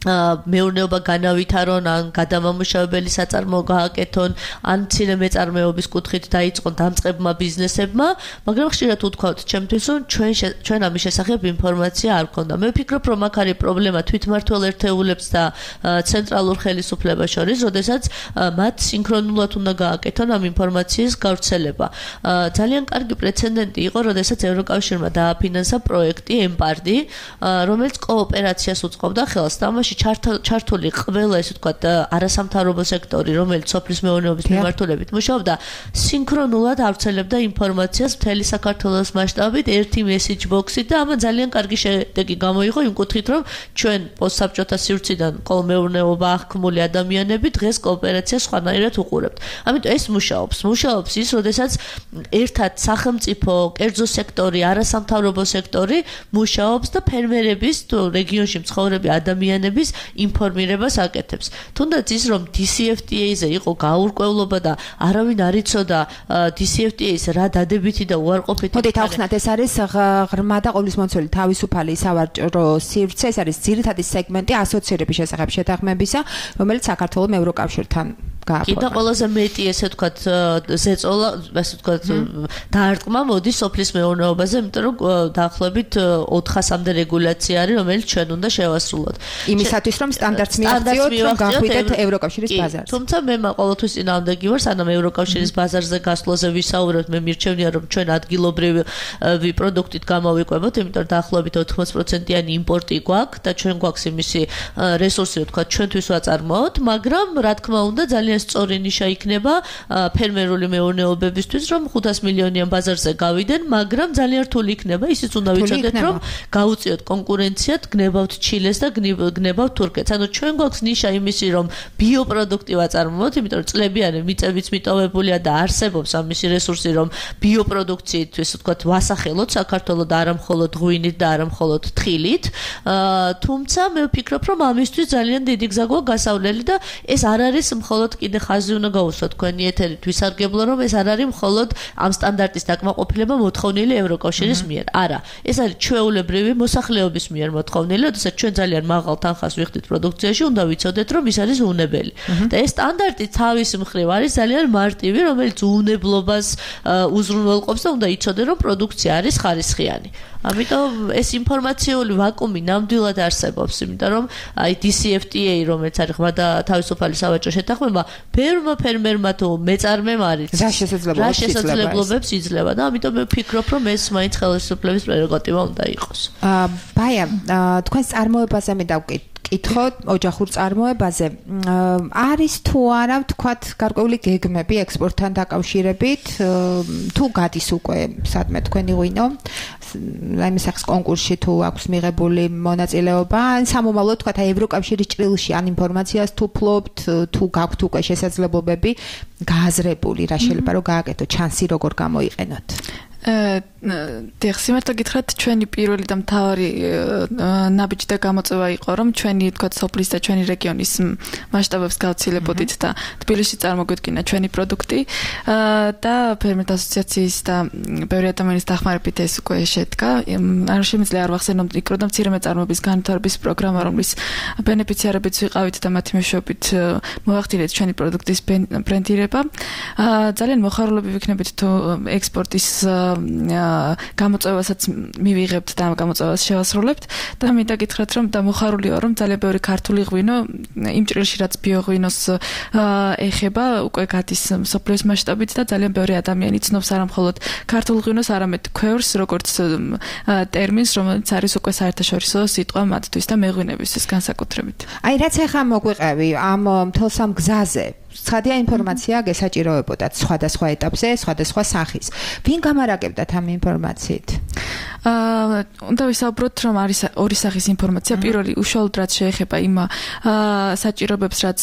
მეურნეობა განავითარონ, ან გადამამუშავებელი საწარმოო გააკეთონ, ან მცირე მეწარმეობის კუთხით დაიწყონ დამწყებმა ბიზნესებმა, მაგრამ ხშირად უთქვათ ჩემთვის, რომ ჩვენ ამის შესახებ ინფორმაცია არ გქონდა. მე ვფიქრობ, რომ აქ არის პრობლემა თვითმმართველ ერთეულებს და ცენტრალურ ხელისუფლებას შორის, როდესაც მათ სინქრონულად უნდა გააკეთონ ამ ინფორმაციის გავრცელება. ძალიან კარგი პრეცედენტი იყო, როდესაც ევროკავშირმა დააფინანსა პროექტი ემპარდი, რომელიც კოოპერაციას უწყობდა ხელს და ამაში ჩართული ყველა ესე ვთქვათ არასამთავრობო სექტორი, რომელიც სოფლის მეურნეობის მიმართულებით მუშაობდა, სინქრონულად ავრცელებდა ინფორმაციას მთელი საქართველოს მასშტაბით ერთი მესეჯ ბოქსით და ამან ძალიან კარგი შედეგი გამოიღო იმ კუთხით, რომ ჩვენ პოსტსაბჭოთა სივრციდან კოლმეურნეობა აღქმული ადამიანები დღეს კოოპერაციას სხვანაირად უყურებთ. ამიტომ ეს მუშაობს ის, როდესაც ერთად სახელმწიფო, კერძო სექტორი, არასამთავრობო სექტორი მუშაობს და ფერმერების თუ რეგიონში მცხოვრები ადამიანების ინფორმირებას აკეთებს. თუნდაც ის, რომ DCFTA-ზე იყო გაურკვევლობა და არავინ არ იცოდა DCFTA-ს რა დადებითი და უარყოფითი. მოდით ავხსნათ, ეს არის ღრმა და ყოვლისმომცველი თავისუფალი სავაჭრო სივრცე, ეს არის ძირითადი სეგმენტი ასოცირების შესახებ შეთანხმებისა, რომელიც საქართველოს ევროკავშირთან კი და ყველაზე მეტი ესე ვთქვათ ზეწოლა, ასე ვთქვათ დაარტყმა მოდის სოფლის მეურნეობაზე, იმიტომ რომ დაახლოებით 400-მდე რეგულაცია არის, რომელიც ჩვენ უნდა შევასრულოთ. იმისათვის, რომ სტანდარტს მიაღწიოთ, რომ გახვიდეთ ევროკავშირის ბაზარზე. თუმცა მე ყოველთვის წინააღმდეგი ვარ, სანამ ევროკავშირის ბაზარზე გასვლაზე ვისაუბრებთ, მე მირჩევნია, რომ ჩვენ ადგილობრივი პროდუქტით გამოვიკვებოთ, იმიტომ რომ დაახლოებით 80%-იანი იმპორტი გვაქვს და ჩვენ გვაქვს იმისი რესურსი, ვთქვათ, ჩვენთვის ვაწარმოოთ, მაგრამ რა თქმა უნდა, ძალიან სწორი ნიშა იქნება ფერმერული მეურნეობებისთვის, რომ 500 მილიონიან ბაზარზე გავიდენ, მაგრამ ძალიან რთული იქნება. ისიც უნდა ვიცოდეთ, რომ გაუწიოთ კონკურენციად, გნებავთ ჩილეს და გნებავთ თურქეთს. ანუ ჩვენ გვაქვს ნიშა იმისი, რომ ბიოპროდუქტი ვაწარმოოთ, იმიტომ რომ წლებიანი მიწებიც მიტოვებულია და არსებობს ამისი რესურსი, რომ ბიოპროდუქციით, ესე ვთქვათ, ვასახელოთ საქართველოს და არა მხოლოდ ღვინით და არა მხოლოდ თხილით. თუმცა მე ვფიქრობ, რომ ამისთვის ძალიან დიდი გზა გვაქვს გასავლელი და ეს არ არის მხოლოდ კიდე ხაზი უნდა გაუსვათ თქვენი ეთერით ვისარგებლო, რომ ეს არ არის მხოლოდ ამ სტანდარტის დაკმაყოფილება მოთხოვნილი ევროკავშირის მიერ. არა, ეს არის ჩვეულებრივი მოსახლეობის მიერ მოთხოვნილი, როდესაც ჩვენ ძალიან მაღალ თანხას ვიხდით პროდუქციაში, უნდა ვიცოდეთ, რომ ის არის უნებელი. და ეს სტანდარტი თავის მხრივ არის ძალიან მარტივი, რომელიც უნებლობას უზრუნველყოფს და უნდა იცოდე, რომ პროდუქცია არის ხარისხიანი. ამიტომ ეს ინფორმაციული ვაკუუმი ნამდვილად არსებობს, იმიტომ რომ აი DCFTA, რომელიც არის ღრმა და თავისუფალი სავაჭრო შეთანხმება, ბევრმა ფერმერმა თუ მეწარმემ არის რა შესაძლებლობებს იძლევა და ამიტომ მე ვფიქრობ, რომ ეს მაინც ხელისუფლების პრეროგატივა უნდა იყოს. ბაია, თქვენს წარმოებაზე მე კითხო ოჯახურ წარმოებაზე. არის თუ არა ვთქვათ გარკვეული გეგმები ექსპორტთან დაკავშირებით, თუ გადის უკვე სადმე თქვენი ღვინო, რაიმე სახის კონკურსში თუ აქვს მიღებული მონაწილეობა, ან სამომავლოდ ვთქვათ ევროკავშირის ჭრილში ან ინფორმაციას თუ ფლობთ, თუ გაქვთ უკვე შესაძლებლობები გააზრებული, რა შეიძლება რომ გააკეთო, ჩანსი როგორ გამოიყენოთ? დიახ, გითხრათ, ჩვენი პირველი და მთავარი ნაბიჯი და გამოწვევა იყო, რომ ჩვენი თქვათ სოფლის და ჩვენი რეგიონის მასშტაბებს გავცილებოდით და თბილისში წარმოგვიდგინა ჩვენი პროდუქტი და ფერმერთა ასოციაციის და ბევრი ადამიანის დახმარებით ეს უკვე შედგა. არ შემიძლია არ ვახსენოთ მიკრო და მცირე მეწარმეობის განვითარების პროგრამა, რომლის ბენეფიციარებიც ვიყავით და მათი მეშვეობით მოვახდინეთ ჩვენი პროდუქტის ბრენდირება. ძალიან მოხარულები ვიქნებით თუ ექსპორტის გამოწვევასაც მივიღებთ და გამოწვევას შევასრულებთ და მინდა გითხრათ რომ და მოხარული ვარ რომ ძალიან ბევრი ქართული ღვინო იმ ჭრილში რაც ბიოღვინოს ეხება უკვე გადის მსოფლიოს მასშტაბით და ძალიან ბევრი ადამიანი ცნობს არა მხოლოდ ქართულ ღვინოს არამედ ქვევრს როგორც ტერმინს რომელიც არის უკვე საერთაშორისო სიტყვა მათთვის და მეღვინებისთვის განსაკუთრებით. აი რაც ახლა მოგვიყევი ამ მთელს ამ გზაზე ცხადია ინფორმაცია გესაჭიროებოდათ სხვადასხვა ეტაპზე, სხვადასხვა სახის. ვინ გამარაგებდათ ამ ინფორმაციით? უნდა ვისაუბროთ, რომ არის ორი სახის ინფორმაცია. პირველი უშუალოდ რაც შეეხება იმ საჭიროებებს, რაც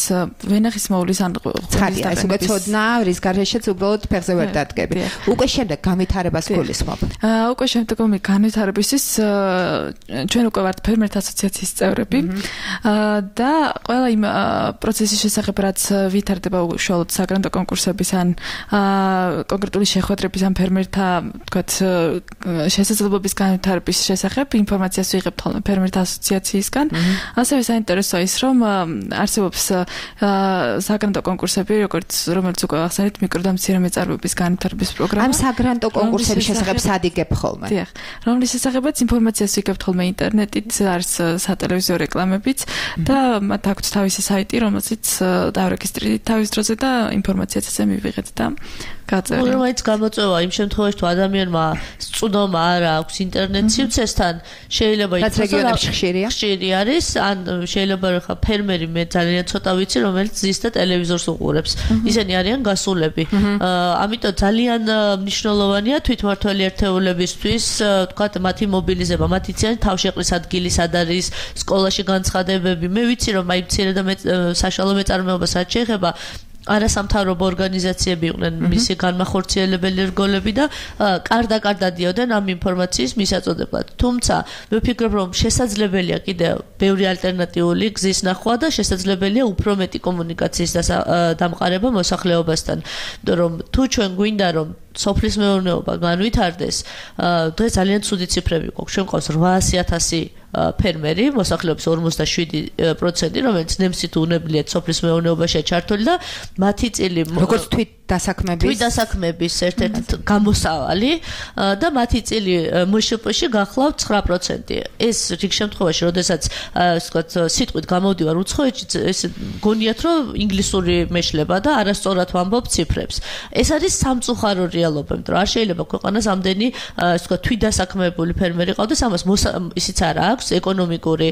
ვენახის მოვლის ან ცხადია, ეს უკვე ცოდნა, რის გარეშეც უბრალოდ ფეხზე ვერ დადგები. უკვე შემდეგ განვითარებას გულისხმობ. უკვე შემდგომი განვითარებისთვის ჩვენ უკვე ვართ ფერმერთა ასოციაციის წევრები და ყველა იმ პროცესის შესახებ, რაც ვითარდება უშუალოდ საგრანტო კონკურსების ან კონკრეტული შეხვედრების ან ფერმერთა თქვათ შესაძლებლობის განვითარების შესახებ ინფორმაციას ვიღებთ ხოლმე ფერმერთა ასოციაციისგან. ასევე საინტერესოა ის, რომ არსებობს საგრანტო კონკურსები, რომელიც უკვე ახსენეთ მიკრო და მცირე მეწარმეობის განვითარების პროგრამა. ამ საგრანტო კონკურსების შესახებ სადიგებ ხოლმე. დიახ, რომლის შესახებაც ინფორმაციას ვიღებთ ხოლმე ინტერნეტით, არის სატელევიზიო რეკლამებიც და მათ აქვთ თავისი საიტი, რომელზეც დავრეგისტრირდით თავის დროზე და ინფორმაციაც ესე მივიღეთ და გაწერეთ. რომელიც გამოწვევა იმ შემთხვევაში თუ ადამიანმა სწუდომა არ აქვს ინტერნეტ სივრცესთან, შეიძლება რაც რეგიონებში ხშირი არის, ან შეიძლება რომ ხა ფერმერი მე ძალიან ცოტა ვიცი, რომელიც ზის და ტელევიზორს უყურებს. ისინი არიან გასულები. ამიტომ ძალიან მნიშვნელოვანია თვითმმართველი ერთეულებისთვის, თქვათ, მათი მობილიზება, მათ იციან თავშეყრის ადგილი სად არის, სკოლაში განცხადებები. მე ვიცი რომ აი მცირე და საშუალო მეწარმეობას რაც შეეხება არასამთავრობო ორგანიზაციები იყვნენ მისი განმახორციელებელი რგოლები და კარდაკარდად დიოდნენ ამ ინფორმაციის მისაწოდებლად. თუმცა მე ვფიქრობ რომ შესაძლებელია კიდევ ბევრი ალტერნატიული გზის ნახვა და შესაძლებელია უფრო მეტი კომუნიკაციის დამყარება მოსახლეობასთან. იმიტომ რომ თუ ჩვენ გვინდა რომ სოფლის მეურნეობა განვითარდეს, დღეს ძალიან ცუდი ციფრები გვაქვს. ჩვენ ყავს 800,000 ფერმერი, მოსახლეობის 57%, რომელიც ნემსით უნებლიეთ სოფლის მეურნეობაში ჩართული და მათი წილი როგორც თვითდასაქმების ერთ-ერთი გამოსავალი და მათი წილი მშპ-ში გახლავთ 9%. ეს რიგ შემთხვევაში, როდესაც ვთქვათ, სიტყვით გამოვდივარ უცხოეთში, ეს გონიათ რომ ინგლისური მეშლება და არასწორად ვამბობ ციფრებს. ეს არის სამწუხარო რეალობა, იმიტომ რომ არ შეიძლება ქვეყანას ამდენი ვთქვათ, თვითდასაქმებული ფერმერი ყავდეს, ამას ისიც არ აქვს ეკონომიკური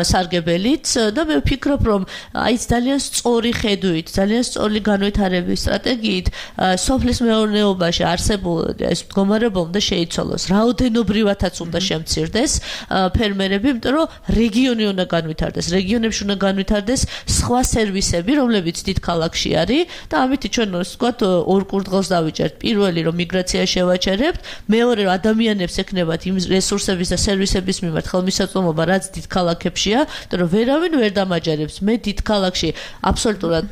სარგებელიც და მე ვფიქრობ რომ აი ძალიან სწორი ხედვით, ძალიან სწორი განვითარების სტრატეგიით სოფლის მეურნეობაში არსებულ ეს მდგომარეობა უნდა შეიცვალოს. რაოდენობრივათაც უნდა შემცირდეს ფერმერები, იმიტომ რომ რეგიონი უნდა განვითარდეს, რეგიონებში უნდა განვითარდეს სხვა სერვისები, რომლებიც დიდ ქალაქში არის და ამით ჩვენ ვთქვათ ორ კურდღელს დავიჭერთ. პირველი რომ მიგრაცია შევაჩერებთ, მეორე რომ ადამიანებს ექნებათ იმ რესურსების და სერვისების მიმართ ხელმისაწვდომობა, რაც დიდ ქალაქებშია, იმიტომ რომ ვერავინ ვერ დამაჯერებს. მე დიდ ქალაქში აბსოლუტურად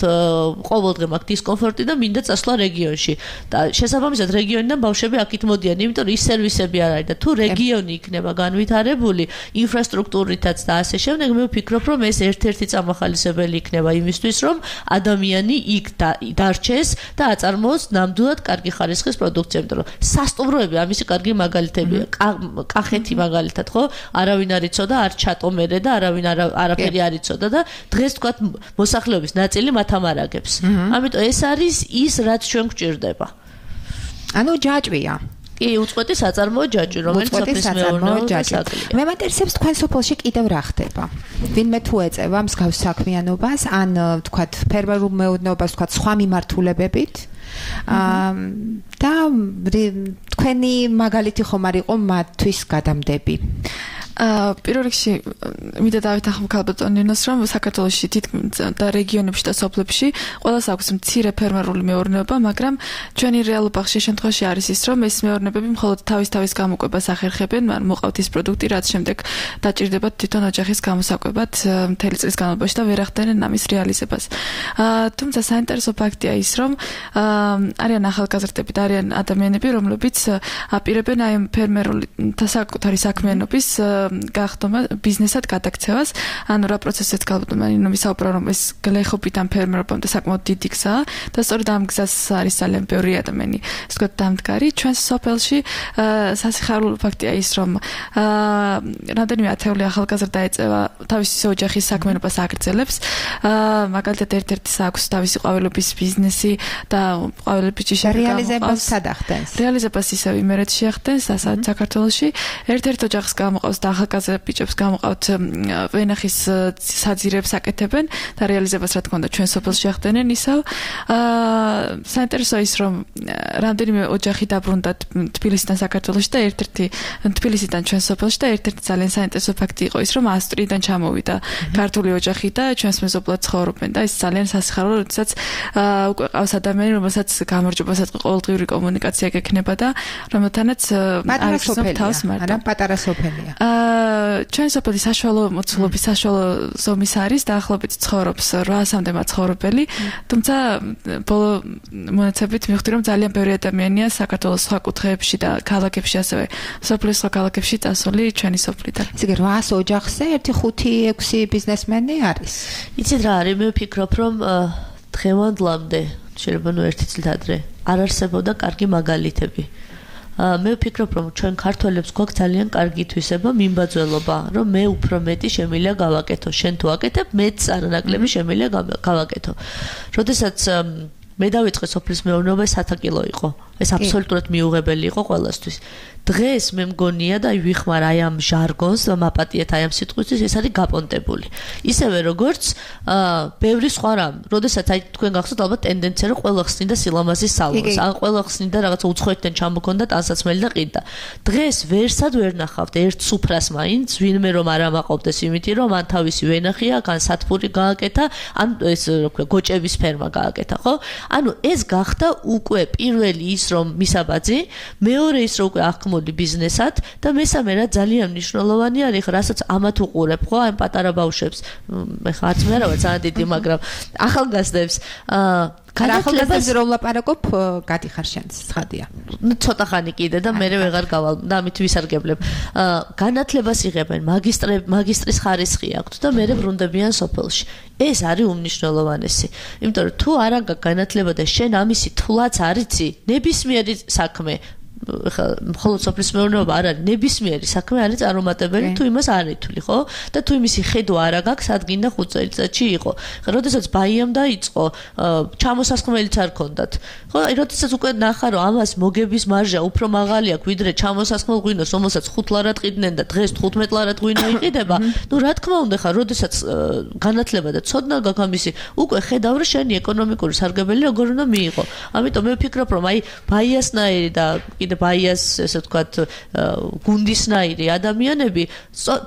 ყოველდღე მაქვს დისკომფორტი და მინდა წასვლა რეგიონში. და შესაბამისად რეგიონიდან ბავშვები აქით მოდიან, იმიტომ რომ ის სერვისები არ არის და თუ რეგიონი იქნება განვითარებული ინფრასტრუქტურითაც და ასე შემდეგ, მე ვფიქრობ რომ ეს ერთ-ერთი წამახალისებელი იქნება იმისთვის, რომ ადამიანი იქ დარჩეს და აწარმოოს ნამდვილად კარგი ხარისხის პროდუქცია, იმიტომ რომ სასტუმროები ამისი კარგი მაგალითებია. კახეთი მაგალითად, ხო? არავინ არ იცოდა, არ ჩატომერე და არავინ არაფერი არ იცოდა და დღეს თქვათ მოსახლეობის ნაწილი მათ ამარაგებს. ამიტომ ეს არის ის, რაც ჩვენ გვჭირდება. ანუ ჯაჭვია. კი, უწყვეტი საწარმოო ჯაჭვი, რომელიც სოფლის მეურნეობას აკლია. მე მაინტერესებს თქვენ სოფელში კიდევ რა ხდება? ვინმე თუ ეწევა მსგავს საქმიანობას, ან თქვათ ფერმერულ მეურნეობას, თქვათ სხვა მიმართულებებით და თქვენი მაგალითი ხომ არ იყო მათთვის გადამდები? პირველ რიგში მინდა დავეთანხმო ქალბატონინოს, რომ საქართველოში თითქმის და რეგიონებში და სოფლებში ყველას აქვს მცირე ფერმერული მეურნეობა, მაგრამ ჩვენი რეალობა ხშირ შემთხვევაში არის ის, რომ ეს მეურნეობები მხოლოდ თავის გამოკვებას ახერხებენ, მაგრამ მოყავთ ის პროდუქტი, რაც შემდეგ დაჭირდებათ თვითონ ოჯახის გამოსაკვებად მთელი წლის განმავლობაში და ვერ ახდენენ ამის რეალიზებას. თუმცა საინტერესო ფაქტია ის, რომ არიან ახალგაზრდები და არიან ადამიანები, რომლებიც აპირებენ აი ფერმერული საკუთარი საქმიანობის გახდომა ბიზნესად გადაქცევას, ანუ რა პროცესიც ქალბატონინო ვისაუბრა, რომ ეს გლეხობიდან ფერმერობამდე საკმაოდ დიდი გზაა და სწორედ ამ გზას არის ძალიან ბევრი ადამიანი, ასე ვთქვათ, დამდგარი. ჩვენს სოფელში სასიხარულო ფაქტია ის, რომ რამდენიმე ათეული ახალგაზრდა ეწევა თავისი ოჯახის საქმიანობას აგრძელებს. მაგალითად ერთ-ერთის აქვს თავისი ყვავილობის ბიზნესი და ყვავილების ჯიშები რეალიზებას სად ახდენს? რეალიზებას ისევ იმერეთში ახდენს, საქართველოში. ერთ-ერთ ოჯახს გამოყავს და ახალგაზრდა ბიჭებს გამოყავთ ვენახის საძირებს აკეთებენ და რეალიზებას რა თქმა უნდა ჩვენ სოფელში ახდენენ ისევ. საინტერესო ის, რომ რამდენიმე ოჯახი დაბრუნდა თბილისიდან საქართველოში და ერთ-ერთი თბილისიდან ჩვენ სოფელში და ერთ-ერთი ძალიან საინტერესო ფაქტი იყო ის, რომ ავსტრიიდან ჩამოვიდა ქართული ოჯახი და ჩვენს მეზობლად ცხოვრობენ და ეს ძალიან სასიხარულო, როდესაც უკვე ყავს ადამიანი, რომელსაც გამარჯვებასაც ყოველდღიური კომუნიკაცია გექნება და რომელთანაც არის თავს მარტო. არა, პატარა სოფელია. ჩვენ სოფელი საშუალო მოცულობის საშუალო ზომის არის, დაახლოებით ცხოვრობს 800-მდე მაცხოვრებელი, თუმცა ბოლო მონაცემებით მივხვდი, რომ ძალიან ბევრი ადამიანია საქართველოს სხვა კუთხეებში და ქალაქებში, ასევე სოფლის სხვა ქალაქებში წასული ჩვენი სოფლიდან. ესე იგი 800 ოჯახზე 1-5-6 ბიზნესმენი არის. იცით რა არის, მე ვფიქრობ, რომ დღევანდლამდე შეიძლება ერთი წლით ადრე არ არსებობდა კარგი მაგალითები. მე ვფიქრობ, რომ ჩვენ ქართველებს გვაქვს ძალიან კარგი თვისება, მიმბაძველობა, რომ მე უფრო მეტი შემიძლია გავაკეთო, შენ თუ აკეთებ, მეც არანაკლები შემიძლია გავაკეთო. როდესაც მე დავიწყე სოფლის მეურნეობა, 100 კილო იყო. ეს აბსოლუტურად მიუღებელი იყო ყველასთვის. დღეს მე მგონია და ვიხმარ აი ამ ჟარგონს და მაპატიეთ აი ამ სიტყვისთვის, ეს არის გაპონტებული. ისევე როგორც ბევრი სხვა რამ. როდესაც აი თქვენ გახსოვთ ალბათ ტენდენცია, რომ ყველა ხსნიდა სილამაზის სალონს, ან ყველა ხსნიდა რაღაცა უცხოეთიდან ჩამოქონდა ტანსაცმელი და ყიდა. დღეს ვერსად ვერ ნახავთ ერთ სუფრას მაინც, ვინმე რომ არ ამაყობდეს იმითი, რომ ან თავისი ვენახია, ან სათბური გააკეთა, ან ეს რა ქვია, გოჭების ფერმა გააკეთა, ხო? ანუ ეს გახდა უკვე პირველი ის, რომ მისაბაძი, მეორე ის, რომ უკვე ახმოდი ბიზნესად და მესამე რა ძალიან მნიშვნელოვანი არის, რასაც ამათ უყურებ, ხო, აი პატარა ბავშვებს, ეხლა არც მე რა ვარ ძალიან დიდი, მაგრამ ახალგაზრდებს ახალგაზრდებს რომ ლაპარაკობ, გადიხარ შენს ცხადია. ცოტა ხანი კიდე და მე ვეღარ გავალ და ამით ვისარგებლებ. განათლებას იღებენ, მაგისტრის ხარისხი აქვთ და მე ბრუნდებიან სოფელში. ეს არის უმნიშვნელოვანესი. იმიტომ რომ თუ არ აგა განათლება და შენ ამისი თვლაც არ იცი, ნებისმიერი საქმე მხოლოდ სოფლის მეურნეობა არ არის, ნებისმიერი საქმე არის წარუმატებელი, თუ იმას არ ითვლი, ხო? და თუ იმისი ხედვა არ აგაქვს, ადგინ და 5 წელიწადში იყო. ხა როდესაც ბაიამ დაიწყო, ჩამოსასხმელიც არ ქონდათ. ხო, აი როდესაც უკვე ნახა, რომ ამას მოგების მარჟა უფრო მაღალი აქვს, ვიდრე ჩამოსასხმელ ღვინოს, რომელსაც 5 ლარად ყიდნენ და დღეს 15 ლარად ღვინო იყიდება, ნუ რა თქმა უნდა, ხა როდესაც განათლება და ცოდნა გაქვს ამისი, უკვე ხედავ, რომ შენი ეკონომიკური სარგებელი როგორ უნდა მიიღო. ამიტომ მე ვფიქრობ, რომ აი ბაიასნაირი და ბაიას, ესე ვთქვათ, გუნდისნაირი ადამიანები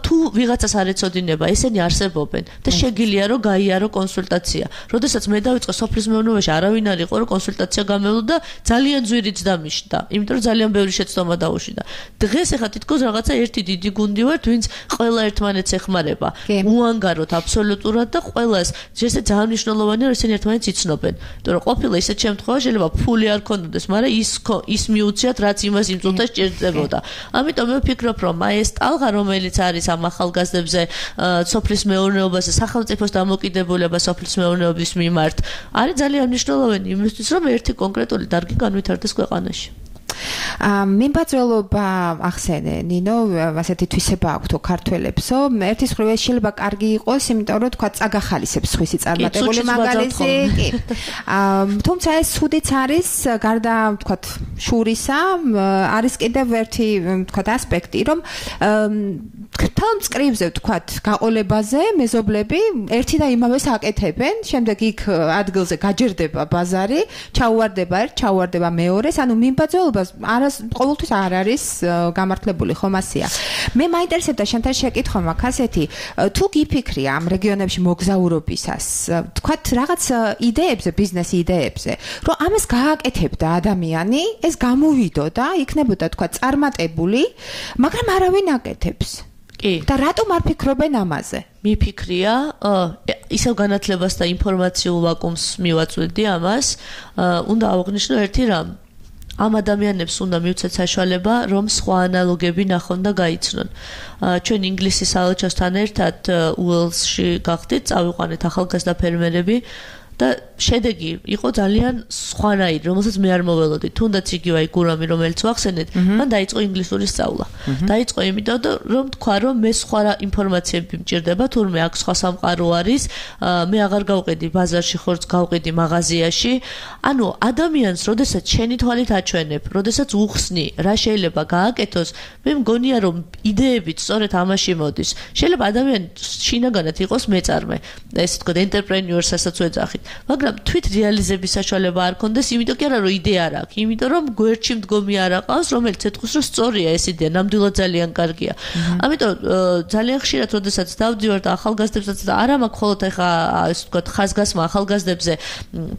თუ ვიღაცას არ ეწოდინება, ესენი არსებობენ და შეგიძლია რომ გაიარო კონსულტაცია. როდესაც მე დავიწყე სოფლის მეურნეობაში, არავინ არ იყო, რომ კონსულტაცია გამევლო და ძალიან ძვირიც დამიშდა, იმიტომ რომ ძალიან ბევრი შეცდომა დაუშვიდა. დღეს ეხლა თითქოს რაღაცა ერთი დიდი გუნდი ვართ, ვინც ყველა ერთმანეთს ეხმარება. უანგაროთ აბსოლუტურად და ყველას ესე ძალიან მნიშვნელოვანია, რომ ესენი ერთმანეთს იცნობენ. იმიტომ რომ ყოფილა ისეთ შემთხვევაში შეიძლება ფული არ ქონდეს, მაგრამ ის მიუციათ რაც იმას იმ წუთას ჭირდებოდა. ამიტომ მე ვფიქრობ, რომ აი ეს ტალღა, რომელიც არის ამ ახალგაზრდებზე, სოფლის მეურნეობაზე, სახელმწიფოს დამოკიდებულება სოფლის მეურნეობის მიმართ, არის ძალიან მნიშვნელოვანი იმისთვის, რომ ერთი კონკრეტული დარგი განვითარდეს ქვეყანაში. მიმბაძველობა ახსენე ნინო, ასეთი თვისება აქვს თუ ქართველებსო, ერთის მხრივ ეს შეიძლება კარგი იყოს, იმიტომ რომ თქვა წაგახალისებს სხვისი წარმატებული მაგალითი, კი. თუმცა ეს ცუდიც არის, გარდა თქვა შურისა, არის კიდევ ერთი თქვა ასპექტი, რომ თელ მწკრივზე თქვა გაყოლებაზე მეზობლები ერთი და იმავეს აკეთებენ, შემდეგ იქ ადგილზე გაჯერდება ბაზარი, ჩაუვარდება ერთ, ჩაუვარდება მეორეს, ანუ მიმბაძველობას ყოველთვის არ არის გამართლებული ხომ ასია. მე მაინტერესებდა შენთან შეკითხვა მაქვს ასეთი, თუ გიფიქრი ამ რეგიონებში მოგზაურობისას, თქვათ რაღაც იდეებზე, ბიზნეს იდეებზე, რომ ამას გააკეთებდა ადამიანი, ეს გამოვიდოდა, იქნებოდა თქვათ წარმატებული, მაგრამ არავინ აკეთებს. კი. და რატომ არ ფიქრობენ ამაზე? მიფიქრია, ისევ განათლებას და ინფორმაციულ ვაკუუმს მივაწვდი ამას, უნდა აღვნიშნო ერთი რამ. ამ ადამიანებს უნდა მივცეთ საშუალება, რომ სხვა ანალოგები ნახონ და გაიცნონ. ჩვენ ინგლისის საელჩოსთან ერთად უელსში გავხდით, წავიყვანეთ ახალგაზრდა ფერმერები და შედეგი იყო ძალიან სხვანაირი, რომელსაც მე არ მოველოდი. თუნდაც იგივე აი გურამი, რომელიც ვახსენეთ, მან დაიწყო ინგლისური სწავლა. დაიწყო იმიტომ, რომ თქვა, რომ მე სხვა ინფორმაციები მჭირდება, თურმე აქ სხვა სამყარო არის, მე აღარ გავყიდი ბაზარში, ხორცს გავყიდი მაღაზიაში. ანუ ადამიანს, როდესაც შენი თვალით აჩვენებ, როდესაც უხსნი, რა შეიძლება გააკეთოს, მე მგონია, რომ იდეებით სწორედ ამაში მოდის. შეიძლება ადამიანი შინაგანად იყოს მეწარმე, ესე ვთქვათ, entrepreneurs ასაც ვეძახით. მაგრამ თვით რეალიზების საშუალება არ კონდეს, იმიტომ კი არა რომ იდეა არ აქვს, იმიტომ რომ გვერდში მდგომი არ აყავს, რომელიც ეთქვის რომ სწორია ეს იდეა, ნამდვილად ძალიან კარგია. ამიტომ ძალიან ხშირად როდესაც დავდივარ და ახალგაზრდებსაც და არა მაქვს მხოლოდ ეხა ასე ვთქვათ ხაზგასმა ახალგაზრდებზე,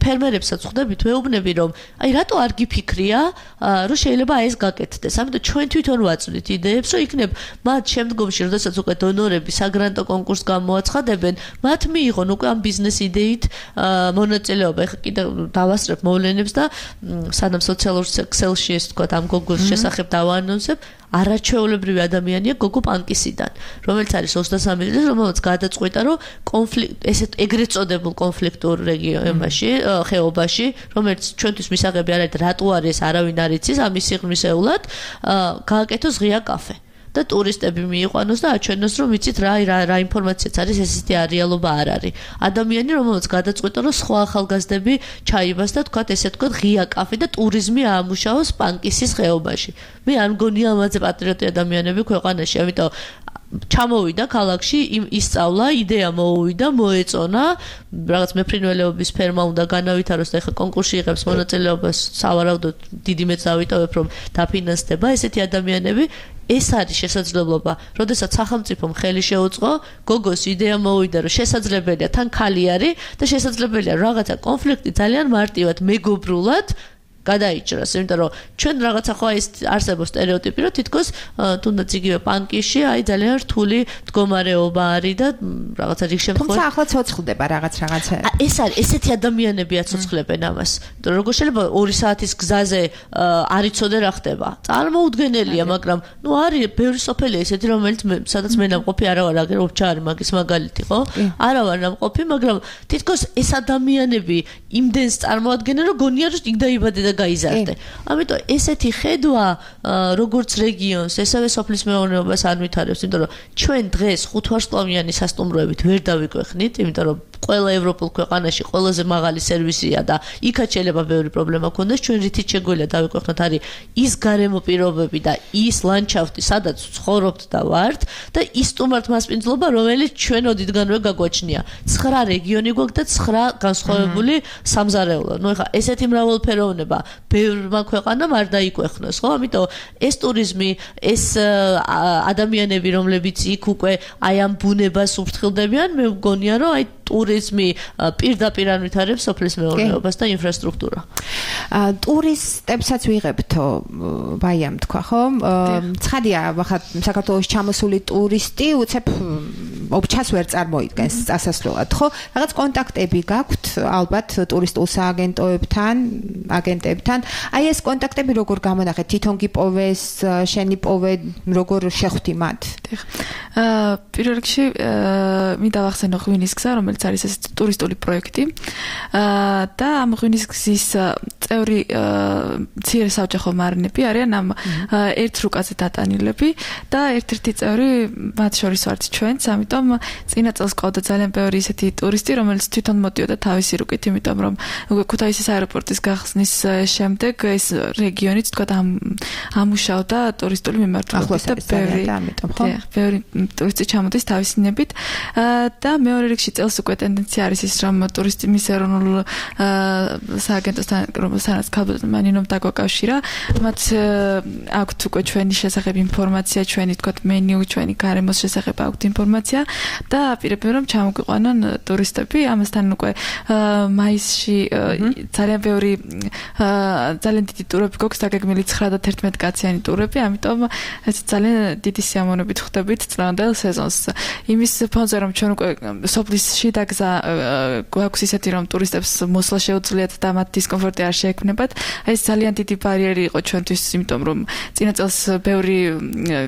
ფერმერებსაც ხვდებით, ვეუბნები რომ აი რატო არ გიფიქრია, რომ შეიძლება ეს გაკეთდეს. ამიტომ ჩვენ თვითონ ვაწვდით იდეებს, რომ იქნებ მათ შემდგომში, როდესაც უკვე დონორები საგრანტო კონკურსს გამოაცხადებენ, მათ მიიღონ უკვე ამ ბიზნეს იდეით მონაწილეობა. ეხლა კიდევ დავასწრებ მოვლენებს და სანამ სოციალურ ქსელში ეს თქვა ამ გოგოს შესახებ დავაანონსებ, არაჩვეულებრივი ადამიანია გოგო პანკისიდან, რომელიც არის 23 წლის, რომელიც გადაწყვიტა, რომ ესეთ ეგრეთ წოდებულ კონფლიქტურ რეგიონებში, ხეობაში, რომელიც ჩვენთვის მისაღები არ არის, რატო არის, არავინ არ იცის, ამის სიღრმისეულად გააკეთოს ღია კაფე. და ტურისტები მიიყვანოს და აჩვენოს, რომ იცით რა ინფორმაციაც არის, ესეთი რეალობა არ არის. ადამიანი, რომელიც გადაწყვიტა, რომ სხვა ახალგაზრდები ჩაიბას და თქვათ, ესე თქვათ, ღია კაფე და ტურიზმი აამუშაოს პანკისის ხეობაში. მე არ მგონია ამაზე პატრიოტი ადამიანები ქვეყანაში, ამიტომ ჩამოვიდა ქალაქში, ისწავლა, იდეა მოუვიდა, მოეწონა, რაღაც მეფრინველეობის ფერმა უნდა განავითაროს და ეხლა კონკურსში იღებს მონაწილეობას, სავარაუდოდ დიდი მეც დავიტოვებ, რომ დაფინანსდება ესეთი ადამიანები. ეს არის შესაძლებლობა, როდესაც სახელმწიფომ ხელი შეუწყო, გოგოს იდეა მოუვიდა, რომ შესაძლებელია, თან ქალი არის და შესაძლებელია რაღაცა კონფლიქტი ძალიან მარტივად, მეგობრულად გადაიჭრას, იმიტომ რომ ჩვენ რაღაცა ხო ეს არსებობს სტერეოტიპი, რომ თითქოს თუნდაც იგივე პანკიში აი ძალიან რთული მდგომარეობა არის და რაღაცა რიგ შემთხვევაში. თუმცა ახლა ცოცხლდება რაღაცა. ეს არის ესეთი ადამიანები აცოცხლებენ ამას. როგორ შეიძლება 2 საათის გზაზე არ იცოდე რა ხდება. წარმოუდგენელია, მაგრამ ნუ არის ბევრი სოფელი ესეთი, რომელიც სადაც მე ნამყოფი არა ვარ, აგერ ოფჩარი მაგის მაგალითი, ხო? არა ვარ ნამყოფი, მაგრამ თითქოს ეს ადამიანები იმდენს წარმოადგენენ, რომ გონია რომ იქ დაიბადე და გაიზარდე. ამიტომ ესეთი ხედვა როგორც რეგიონს, ესევე სოფლის მეურნეობას არ ვითარებს, იმიტომ რომ ჩვენ დღეს 5 ვარსკვლავიანი სასტუმროებით ვერ დავიკვეხნით, იმიტომ რომ ყველა ევროპულ ქვეყანაში ყველაზე მაღალი სერვისია და იქაც შეიძლება ბევრი პრობლემა ქონდეს, ჩვენ რითიც შეგვიძლია დავიკვეხნოთ არის ის გარემო პირობები და ის ლანდშაფტი, სადაც ცხოვრობთ და ვართ და ის სტუმართ მასპინძლობა, რომელიც ჩვენ ოდითგანვე გაგვაჩნია. 9 რეგიონი გვაქვს და 9 განსხვავებული სამზარეულო. ნუ ეხლა ესეთი მრავალფეროვნება ბევრმა ქვეყანამ არ დაიკვეხნოს, ხო? ამიტომ ეს ტურიზმი, ეს ადამიანები, რომლებიც იქ უკვე აი ამ ბუნებას უფრთხილდებიან, მე მგონია, რომ აი ტურიზმი პირდაპირ ანვითარებს სოფლის მეურნეობას და ინფრასტრუქტურა. ტურისტებსაც ვიღებთო, ბაიამ თქვა, ხო? ცხადია, ახლა საქართველოს ჩამოსული ტურისტი უცებ ოფჩას ვერ წარმოიდგენს წასასვლელად, ხო? რაღაც კონტაქტები გაქვთ ალბათ ტურისტულ სააგენტოებთან, აგენტებთან. აი ეს კონტაქტები როგორ გამონახეთ? თვითონ გიპოვეს, შენი პოვე, როგორ შეხვდი მათ? პირველ რიგში მინდა ვახსენო ღვინის გზა, რომელიც არის ეს ტურისტული პროექტი. და ამ ღვინის გზის წევრი მცირე საოჯახო მარნები არიან ამ ერთ რუკაზე დატანილები და ერთ-ერთი წევრი მათ შორის ვართ ჩვენც, ამიტომ წინა წელს ყავდა ძალიან ბევრი ისეთი ტურისტი, რომელიც თვითონ მოდიოდა თავისი რუკით, იმიტომ რომ უკვე ქუთაისის აეროპორტის გახსნის შემდეგ ეს რეგიონიც თქვა ამუშავდა ტურისტული მიმართულებით და ბევრი ტურისტი ჩამოდის თავისი ნებით და მეორე რიგში წელს უკვე ტენდენცია არის ის, რომ ტურისტის ეროვნულ სააგენტოსთან, რომელსაც ქალბატონ მანინომ დაგაკავშირა, მათ აქვთ უკვე ჩვენი შესახებ ინფორმაცია, ჩვენი თქვა მენიუ, ჩვენი გარემოს შესახებ აქვთ ინფორმაცია და აპირებენ რომ ჩამოგვიყვანონ ტურისტები. ამასთან უკვე მაისში ძალიან ბევრი ძალიან დიდი ტურები გვაქვს, დაგეგმილი 9 და 11 კაციანი ტურები, ამიტომ ეს ძალიან დიდი სიამოვნებით ხვდებით წლევანდელ სეზონს. იმის ფონზე რომ ჩვენ უკვე სოფლის შიდა გზა გვაქვს ისეთი რომ ტურისტებს მოსვლა შეუძლიათ და მათ დისკომფორტი არ შეექმნებათ. ეს ძალიან დიდი ბარიერი იყო ჩვენთვის, იმიტომ რომ წინა წელს ბევრი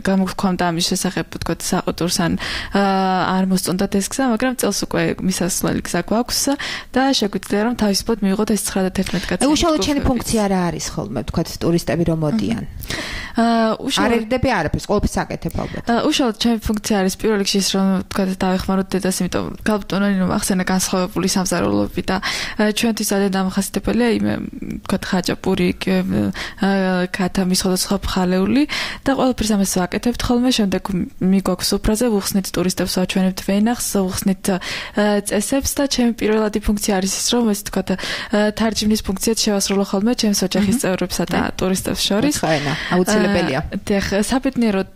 გამოგვქონდა ამის შესახებ, თქვა საყურს ან არ მოსწონდათ ეს გზა, მაგრამ წელს უკვე მისასვლელი გზა გვაქვს და შეგვიძლია რომ თავისუფლად მივიღოთ ეს 9 და 11 კაციანი. უშუალოდ შენი ფუნქცია რა არის ხოლმე, თქვა ტურისტები რომ მოდიან? არ ერდები არაფერს, ყოველთვის აკეთებ ალბათ. უშუალოდ ჩემი ფუნქცია არის პირველ რიგში ის, რომ თქვა დავეხმაროთ დედას, იმიტომ რომ ქალბატონი ახსენა განსხვავებული სამზარეულოები და ჩვენთვის ძალიან დამახასიათებელია იმე თქვა ხაჭაპური, ქათამი, სხვადასხვა ხალეული და ყველაფერს ამას ვაკეთებთ ხოლმე. შემდეგ მიგვაქვს სუფრაზე, ვუხსნით ტურისტებს, ვაჩვენებთ ვენახს, ვუხსნით წესებს და ჩემი პირველადი ფუნქცია არის ის, რომ ეს თქვა თარჯიმნის ფუნქციად შევასრულო ხოლმე ჩემს ოჯახის წევრებსა და ტურისტებს შორის. აუცილებელია. საბედნიეროდ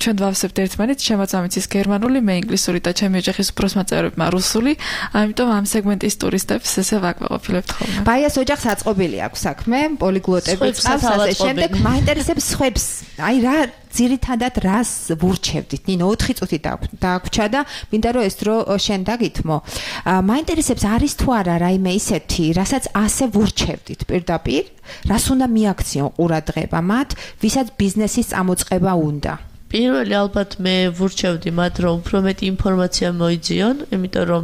ჩვენ დავსებთ ერთმანეთს, შემოწამიც ის გერმანული, მე ინგლისური და ჩემი ოჯახის უფროსმა წევრებმა რუსული, ამიტომ ამ სეგმენტის ტურისტებს ესე ვაკმაყოფილებთ ხოლმე. ბაიას ოჯახს აწყობილი აქვს საქმე, პოლიგლოტები წავს, ასე შემდეგ. მაინტერესებს სხვებს. აი რა ძირითადად რას ვურჩევდით? ნინო 4 წუთი დაგვჭა და მინდა რომ ეს დრო შენ დაგითმო. მაინტერესებს არის თუ არა რაიმე ისეთი, რასაც ასე ვურჩევდით პირდაპირ, რას უნდა მიაქციონ ყურადღება მათ, ვისაც ბიზნესის წამოწყება უნდა? პირველი ალბათ მე ვურჩევდი მათ რომ უფრო მეტი ინფორმაცია მოიძიონ, იმიტომ რომ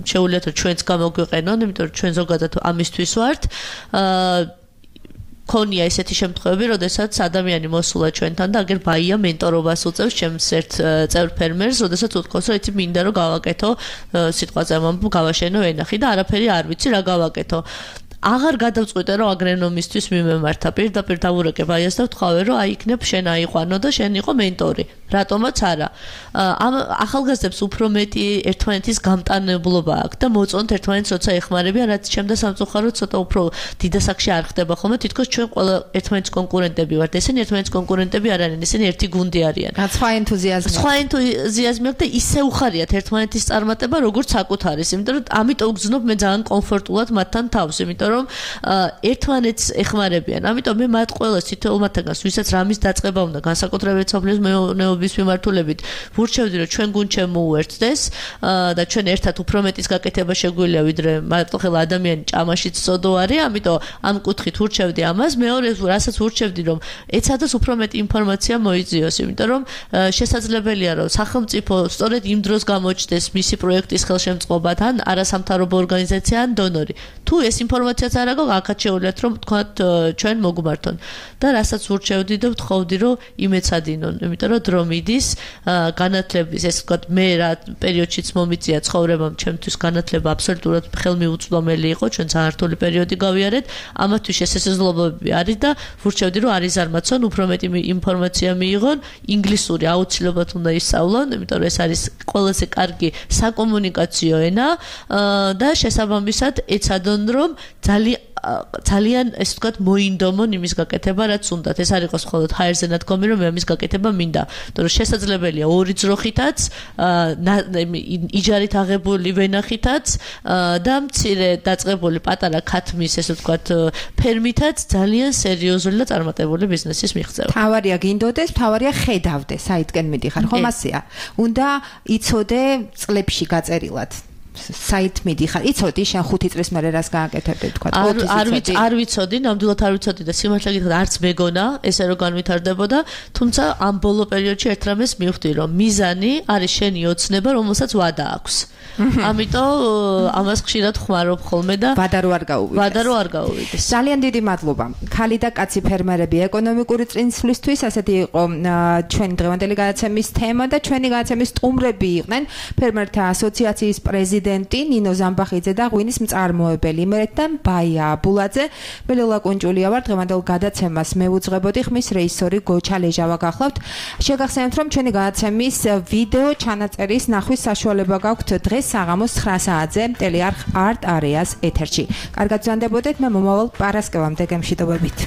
შეუძლიათ რომ ჩვენც გამოგვიყენონ, იმიტომ რომ ჩვენ ზოგადად ამისთვის ვართ. ქონია ესეთი შემთხვევები, როდესაც ადამიანი მოსულა ჩვენთან და აგერ ბაია მენტორობას უწევს ჩემს ერთ წევრ ფერმერს, როდესაც უთქვას, რომ იცი მინდა რომ გავაკეთო სიტყვაზე ამბობ, გავაშენო ვენახი და არაფერი არ ვიცი რა გავაკეთო. აღარ გადავწყვიტე რომ აგრონომისტვის მიმემართა, პირდაპირ დავურეკე ბაიას და ვთქვავე რომ აი იქნებ შენ აიყვანო და შენ იყო მენტორი. რატომაც არა. ამ ახალგაზრდებს უფრო მეტი ერთმანეთის გამტანებლობა აქვს და მოწონთ ერთმანეთს როცა ეხმარებიან, რაც ჩემ და სამწუხაროდ ცოტა უფრო დიდასაკში არ ხდება ხოლმე, თითქოს ჩვენ ყველა ერთმანეთის კონკურენტები ვართ. ესენი ერთმანეთის კონკურენტები არ არიან, ესენი ერთი გუნდი არიან. სხვა ენთუზიაზმი. სხვა ენთუზიაზმი აქვს და ისე უხარიათ ერთმანეთის წარმატება, როგორც საკუთარის, იმიტომ რომ ამიტომ გძნობ მე ძალიან კომფორტულად მათთან თავს, იმიტომ რომ ერთმანეთს ეხმარებიან. ამიტომ მე მათ ყველას თითოეულ მათგანს, ვისაც რამის დაწყება უნდა, განსაკუთრებით სოფლის მეურნეობის მიმართულებით, ვურჩევდი რომ ჩვენ გუნდ შემოუერთდეს და ჩვენ ერთად უფრო მეტის გაკეთება შეგვიძლია, ვიდრე მარტოხელა ადამიანი ჭამაშიც წოდო არის, ამიტომ ამ კუთხით ვურჩევდი ამას. მეორე რასაც ვურჩევდი რომ ეცადოს უფრო მეტი ინფორმაცია მოიძიოს, იმიტომ რომ შესაძლებელია რომ სახელმწიფო სწორედ იმ დროს გამოჩნდეს მისი პროექტის ხელშემწყობად ან არასამთავრობო ორგანიზაცია ან დონორი. თუ ეს ინფორმაციაც არ აქვს, აქაც შეუძლიათ რომ თქვათ ჩვენ მოგმართონ. და რასაც ვურჩევდი და ვთხოვდი რომ იმეცადინონ, იმიტომ რომ დრო მიდის განათლების, ეს ვთქვათ მე რა პერიოდშიც მომიწია ცხოვრებამ, ჩემთვის განათლება აბსოლუტურად ხელმიუწვდომელი იყო, ჩვენ საერთო პერიოდი გავიარეთ, ამათთვის შესაძლებლობები არის და ვურჩევდი რომ არის ზარმაცონ, უფრო მეტი ინფორმაცია მიიღონ, ინგლისური აუცილებლად უნდა ისწავლონ, იმიტომ რომ ეს არის ყველაზე კარგი საკომუნიკაციო ენა და შესაბამისად ეცადონ რომ ძალიან ძალიან ესე ვთქვათ მოინდომონ იმის გაკეთება რაც უნდათ. ეს არ იყოს მხოლოდ ჰაერზე ნათქვამი რომ მე ამის გაკეთება მინდა. იმიტომ რომ შესაძლებელია ორი ძროხითაც, იჯარით აღებული ვენახითაც და მცირე დაწყებული პატარა ქათმის ესე ვთქვათ ფერმითაც ძალიან სერიოზული და წარმატებული ბიზნესის მიღწევა. თავარია გინდოდეს, თავარია ხედავდე, საითკენ მიდიხარ, ხომ ასეა? უნდა იცოდე წლებში გაწერილად. საით მიდიხარ. იცოდი შენ 5 წლის მერე რას გააკეთებდი თქვა. არ ვიცოდი, ნამდვილად არ ვიცოდი და სიმართლე გითხრათ არც მეგონა ესე რომ განვითარდებოდა, თუმცა ამ ბოლო პერიოდში ერთ რამეს მივხვდი რომ მიზანი არის შენი ოცნება, რომელსაც ვადა აქვს. ამიტომ ამას ხშირად ხმარობ ხოლმე და ვადა რო არ გაუვიდეს. ძალიან დიდი მადლობა. ქალი და კაცი ფერმერები ეკონომიკური წინსვლისთვის, ასეთი იყო ჩვენი დღევანდელი გადაცემის თემა და ჩვენი გადაცემის სტუმრები იყვნენ ფერმერთა ასოციაციის პრეზიდენტი ნინო ზამბახიძე და ღვინის მწარმოებელი იმერეთიდან ბაია აბულაძე. მე ლელა კუნჭულია ვარ, დღევანდელ გადაცემას მე ვუძღვებოდი, ხმის რეჟისორი გოჩა ლეჟავა გახლავთ. შეგახსენებთ რომ ჩვენი გადაცემის ვიდეო ჩანაწერის ნახვის საშუალება გაქვთ დღეს საღამოს 9 საათზე ტელეარხ არტ არეას ეთერში. კარგად გრძანდებოდეთ, მე მომავალ პარასკევამდე გემშვიდობებით.